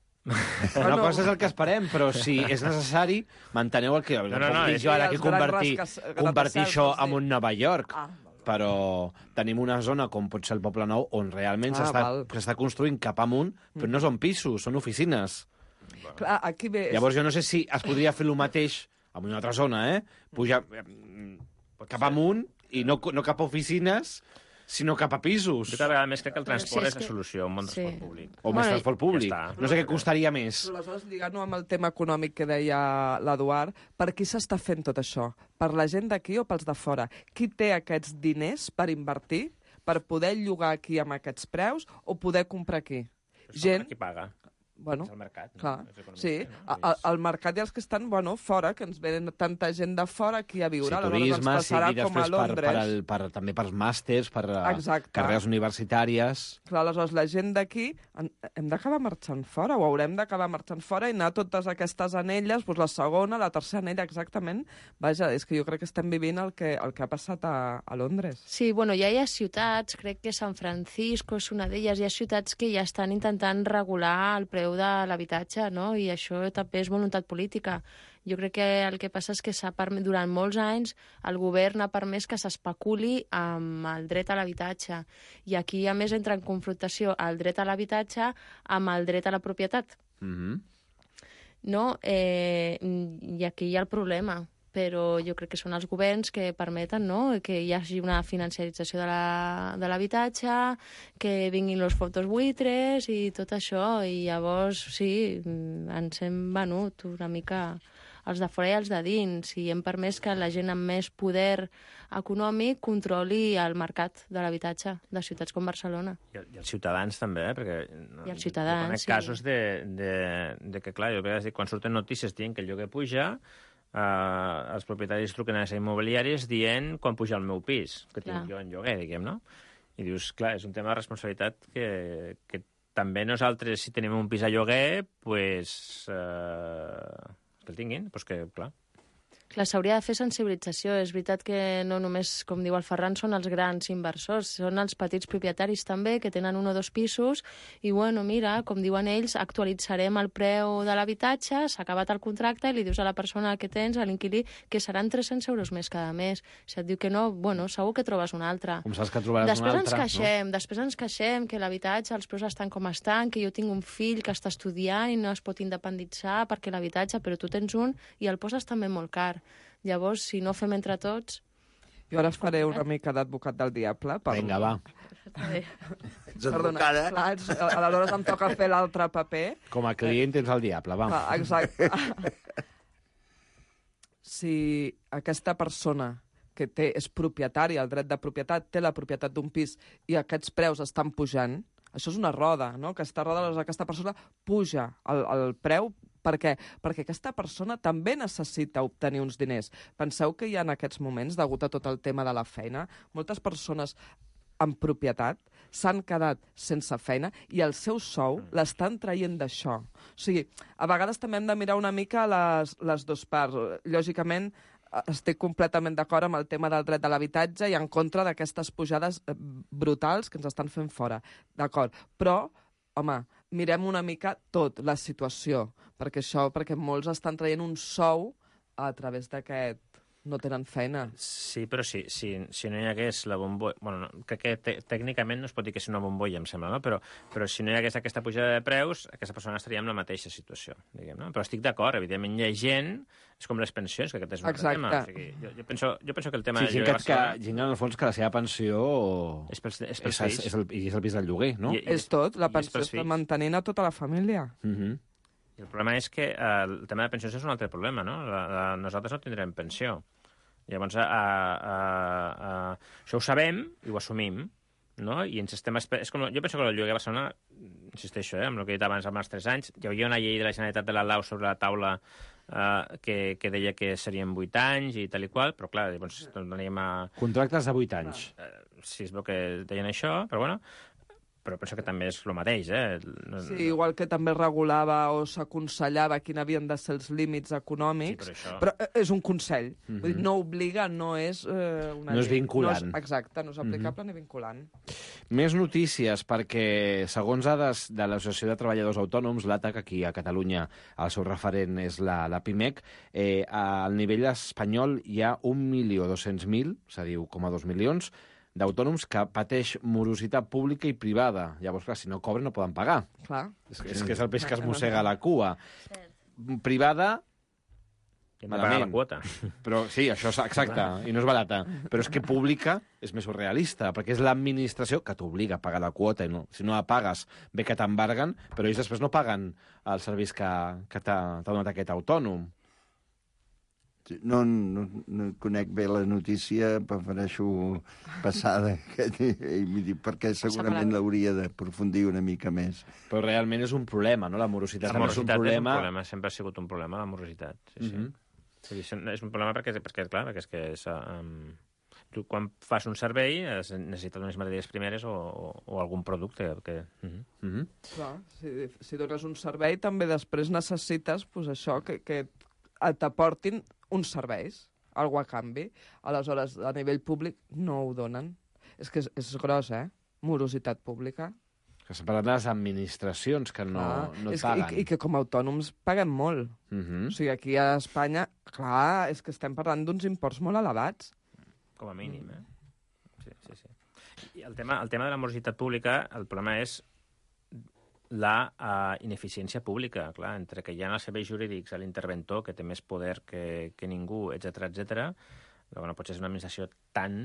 Una no. cosa és el que esperem, però si és necessari, manteneu el que... No, no, no, no jo ara que convertir, convertir això en un Nova York. Ah, però tenim una zona com pot ser el Poble Nou on realment ah, s'està construint cap amunt, però no són pisos, són oficines. Clar, aquí ve... Llavors jo no sé si es podria fer el mateix en una altra zona, eh? Pujar cap amunt i no, no cap a oficines, sinó cap a pisos. Jo cada vegada més crec que el transport sí, és, és que... la solució, un bon sí. transport públic. O més bueno, transport públic. Ja no sé què costaria més. Però aleshores, lligant-ho amb el tema econòmic que deia l'Eduard, per qui s'està fent tot això? Per la gent d'aquí o pels de fora? Qui té aquests diners per invertir, per poder llogar aquí amb aquests preus o poder comprar aquí? Gent... Qui paga? Bueno, és el mercat, no? clar, sí, no? El, el mercat i els que estan, bueno, fora, que ens venen tanta gent de fora aquí a viure, sí, turisme, ens passarà sí, com a Londres. Per, per el, per, també pels màsters, per Exacte. carreres universitàries... Clar, aleshores, la gent d'aquí hem d'acabar marxant fora, o haurem d'acabar marxant fora i anar a totes aquestes anelles, doncs la segona, la tercera anella, exactament. Vaja, és que jo crec que estem vivint el que, el que ha passat a, a Londres. Sí, bueno, ja hi ha ciutats, crec que San Francisco és una d'elles, hi ha ciutats que ja estan intentant regular el preu de l'habitatge, no? I això també és voluntat política. Jo crec que el que passa és que s'ha permès, durant molts anys el govern ha permès que s'especuli amb el dret a l'habitatge. I aquí, a més, entra en confrontació el dret a l'habitatge amb el dret a la propietat. Mm-hmm. No? Eh, I aquí hi ha el problema. Però jo crec que són els governs que permeten, no?, que hi hagi una financiarització de l'habitatge, que vinguin els fotos buitres i tot això, i llavors, sí, ens hem venut una mica els de fora i els de dins, i hem permès que la gent amb més poder econòmic controli el mercat de l'habitatge de ciutats com Barcelona. I, i els ciutadans també, eh? Perquè I els ciutadans, sí. casos de, de, de que, clar, jo crec que quan surten notícies dient que el lloguer puja, Uh, els propietaris truquen a les immobiliàries dient quan puja el meu pis, que tinc clar. jo en lloguer, diguem, no? I dius, clar, és un tema de responsabilitat que, que també nosaltres, si tenim un pis a lloguer, pues, uh, que el tinguin, pues que, clar... Clar, s'hauria de fer sensibilització. És veritat que no només, com diu el Ferran, són els grans inversors, són els petits propietaris també, que tenen un o dos pisos, i, bueno, mira, com diuen ells, actualitzarem el preu de l'habitatge, s'ha acabat el contracte, i li dius a la persona que tens, a l'inquilí, que seran tres-cents euros més cada mes. Si et diu que no, bueno, segur que trobes un altre. Com saps que trobaràs després un altre? Ens queixem, no? Després ens queixem que l'habitatge, els preus estan com estan, que jo tinc un fill que està estudiant i no es pot independitzar perquè l'habitatge, però tu tens un i el poses també molt car. Llavors, si no fem entre tots... Jo ara faré una mica d'advocat del diable. Per... Vinga, va. Perdona, clar, aleshores em toca fer l'altre paper. Com a client tens el diable, va. Ah, exacte. Si aquesta persona que té, és propietària, el dret de propietat, té la propietat d'un pis i aquests preus estan pujant, això és una roda, no? Aquesta roda, aquesta persona puja el, el preu. Per què? Perquè aquesta persona també necessita obtenir uns diners. Penseu que hi ha en aquests moments, degut a tot el tema de la feina, moltes persones en propietat, s'han quedat sense feina i el seu sou l'estan traient d'això. O sigui, a vegades també hem de mirar una mica les, les dues parts. Lògicament, estic completament d'acord amb el tema del dret de l'habitatge i en contra d'aquestes pujades brutals que ens estan fent fora. D'acord. Però, home, mirem una mica tot, la situació, perquè això, perquè molts estan traient un sou a través d'aquest... no tenen feina. Sí, però sí, si, si no hi hagués la bombolla... Bueno, no, crec que te, tècnicament no es pot dir que és una bombolla, em sembla, no? Però, però si no hi hagués aquesta pujada de preus, aquesta persona estaria en la mateixa situació, diguem, no? Però estic d'acord, evidentment hi ha gent, és com les pensions, que aquest és un altre tema. O sigui, jo, jo, penso, jo penso que el tema... Sí, gent que, que, gent en el fons que la seva pensió... És pels, és pels és, és, el, és el pis del lloguer, no? I, i, és tot, la pensió està mantenint a tota la família. Mhm. Mm I el problema és que eh, el tema de pensions és un altre problema, no? La, la, nosaltres no tindrem pensió. Llavors, a, a, a, això ho sabem i ho assumim, no? I ens estem... És com, jo penso que el lloguer a Barcelona, insisteixo, eh, amb el que he dit abans, amb els tres anys, hi havia una llei de la Generalitat de la Lau sobre la taula eh, que, que deia que serien vuit anys i tal i qual, però clar, llavors anem a... Contractes de vuit anys. Eh, sí, es veu que deien això, però bueno... però penso que també és el mateix, eh? No, sí, igual que també regulava o s'aconsellava quin havien de ser els límits econòmics, sí, però, això... però és un consell. Mm-hmm. Vull dir, no obliga, no és eh, una no és vinculant. No és, exacte, no és aplicable mm-hmm. ni vinculant. Més notícies, perquè segons dades de l'Associació de Treballadors Autònoms, l'A T A C, aquí a Catalunya, el seu referent és la, la PIMEC, eh, al nivell espanyol hi ha un milió dos-cents mil, és a dir, un coma dos milions, d'autònoms que pateix morositat pública i privada. Llavors, clar, si no cobren no poden pagar. Clar. És, és que és el peix que es mossega la cua. Privada, hem de pagar la quota. Però, sí, això és exacte, i no és barata. Però és que pública és més surrealista, perquè és l'administració que t'obliga a pagar la quota, i no, si no la pagues, bé que t'embarguen, però ells després no paguen els serveis que, que t'ha donat aquest autònom. No, no, no conec bé la notícia, prefereixo passada, perquè segurament l'hauria d'aprofundir una mica més. Però realment és un problema, no? La morositat, la morositat és, un problema... és un problema, sempre ha sigut un problema, la morositat. Sí, sí. Mm-hmm. És un problema perquè, perquè clar, perquè és que és, um, tu quan fas un servei necessites unes matèries primeres o, o, o algun producte. Que... Mm-hmm. Mm-hmm. Clar, si, si dones un servei també després necessites pues, això, que, que t'aportin uns serveis, algo a canvi. Aleshores, a nivell públic no ho donen. És que és, és gros, eh? Morositat pública. Que s'ha parlat de les administracions que no, ah, no et paguen. Que, i, I que com a autònoms paguem molt. Uh-huh. O sigui, aquí a Espanya, clar, és que estem parlant d'uns imports molt elevats. Com a mínim, eh? Sí, sí, sí. I el tema, el tema de la morositat pública, el problema és la uh, ineficiència pública, clar, entre que hi ha els serveis jurídics, l'interventor, que té més poder que, que ningú, etcètera, etcètera. Bueno, potser és una administració tan...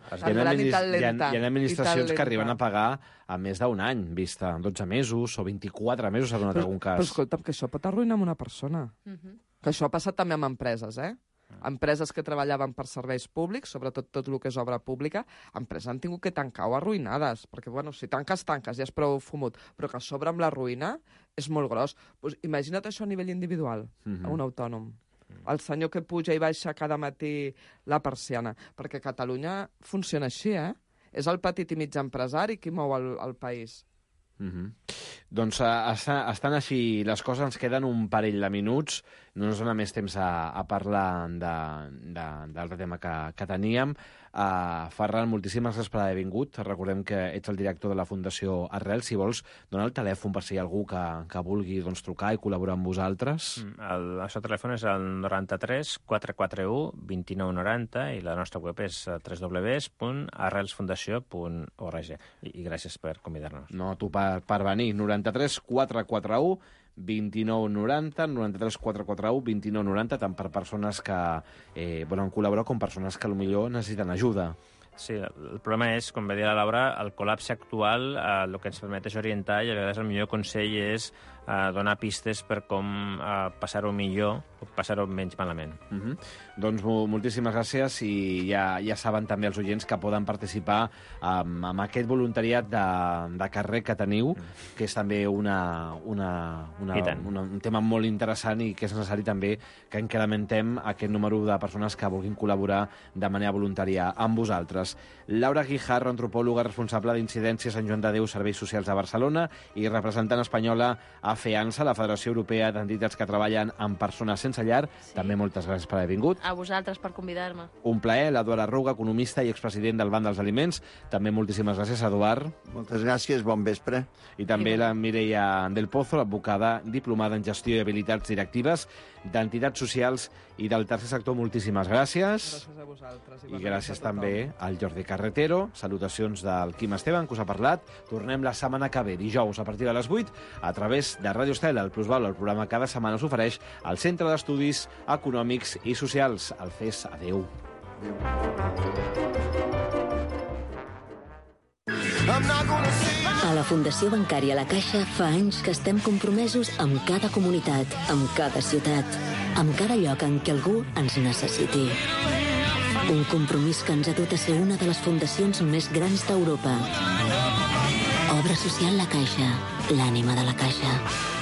Tan gran i tan lenta. Hi ha administracions que arriben a pagar a més d'un any, vista dotze mesos o vint-i-quatre mesos, s'ha donat però, algun cas. Però escolta'm, que això pot arruïnar una persona. Uh-huh. Que això ha passat també amb empreses, eh? Empreses que treballaven per serveis públics, sobretot tot el que és obra pública, empreses han tingut que tancar o arruïnades, perquè, bueno, si tanques, tanques, ja és prou fumut, però que a sobre amb la ruïna és molt gros. Pues, imagina't això a nivell individual, uh-huh. a un autònom. El senyor que puja i baixa cada matí la persiana, perquè Catalunya funciona així, eh? És el petit i mig empresari qui mou el, el país. Mm-hmm. Doncs uh, estan així les coses, ens queden un parell de minuts, no ens dona més temps a, a parlar d'altre tema que, que teníem. Uh, Ferran, moltíssimes gràcies per haver vingut. Recordem que ets el director de la Fundació Arrels. Si vols, dona el telèfon per si hi ha algú que, que vulgui doncs, trucar i col·laborar amb vosaltres. El nostre telèfon és el noranta-tres quatre quatre u vint nou noranta i la nostra web és w w w punt arrels fundació punt org. I, i gràcies per convidar-nos. No, tu per, per venir. noranta-tres quatre quatre u vint nou noranta, noranta-tres quatre quatre u vint nou noranta, tant per persones que eh, volen col·laborar com persones que potser necessiten ajuda. Sí, el problema és, com va dir la Laura, el col·lapse actual eh, el que ens permet és orientar i a vegades el millor consell és eh, donar pistes per com eh, passar-ho millor passar-ho menys malament. Uh -huh. Doncs moltíssimes gràcies i ja, ja saben també els oients que poden participar amb, amb aquest voluntariat de, de carrer que teniu, mm. que és també una, una, una, una, un tema molt interessant i que és necessari també que incrementem aquest número de persones que vulguin col·laborar de manera voluntària amb vosaltres. Laura Guijarro, antropòloga responsable d'Incidència Sant Joan de Déu, Serveis Socials de Barcelona i representant espanyola a FEANSA, la Federació Europea d'Entitats que treballen amb persones sense llar. Sí. També moltes gràcies per haver vingut. A vosaltres per convidar-me. Un plaer. L'Eduard Arruga, economista i expresident del Banc dels Aliments. També moltíssimes gràcies, Eduard. Moltes gràcies, bon vespre. I també la Mireia del Pozo, advocada diplomada en gestió i habilitats directives d'entitats socials i del tercer sector. Moltíssimes gràcies. Gràcies a vosaltres. I gràcies també al Jordi Carretero. Salutacions del Quim Esteban, que us ha parlat. Tornem la setmana que ve, dijous, a partir de les vuit, a través de Ràdio Estel, el Plusvalor, el programa cada setmana us ofereix el Centre d'Estudis Econòmics i Socials, el C E S. Adéu. A la Fundació Bancària La Caixa fa anys que estem compromesos amb cada comunitat, amb cada ciutat, amb cada lloc en què algú ens necessiti. Un compromís que ens ha dut a ser una de les fundacions més grans d'Europa. Obra social La Caixa, l'ànima de la Caixa.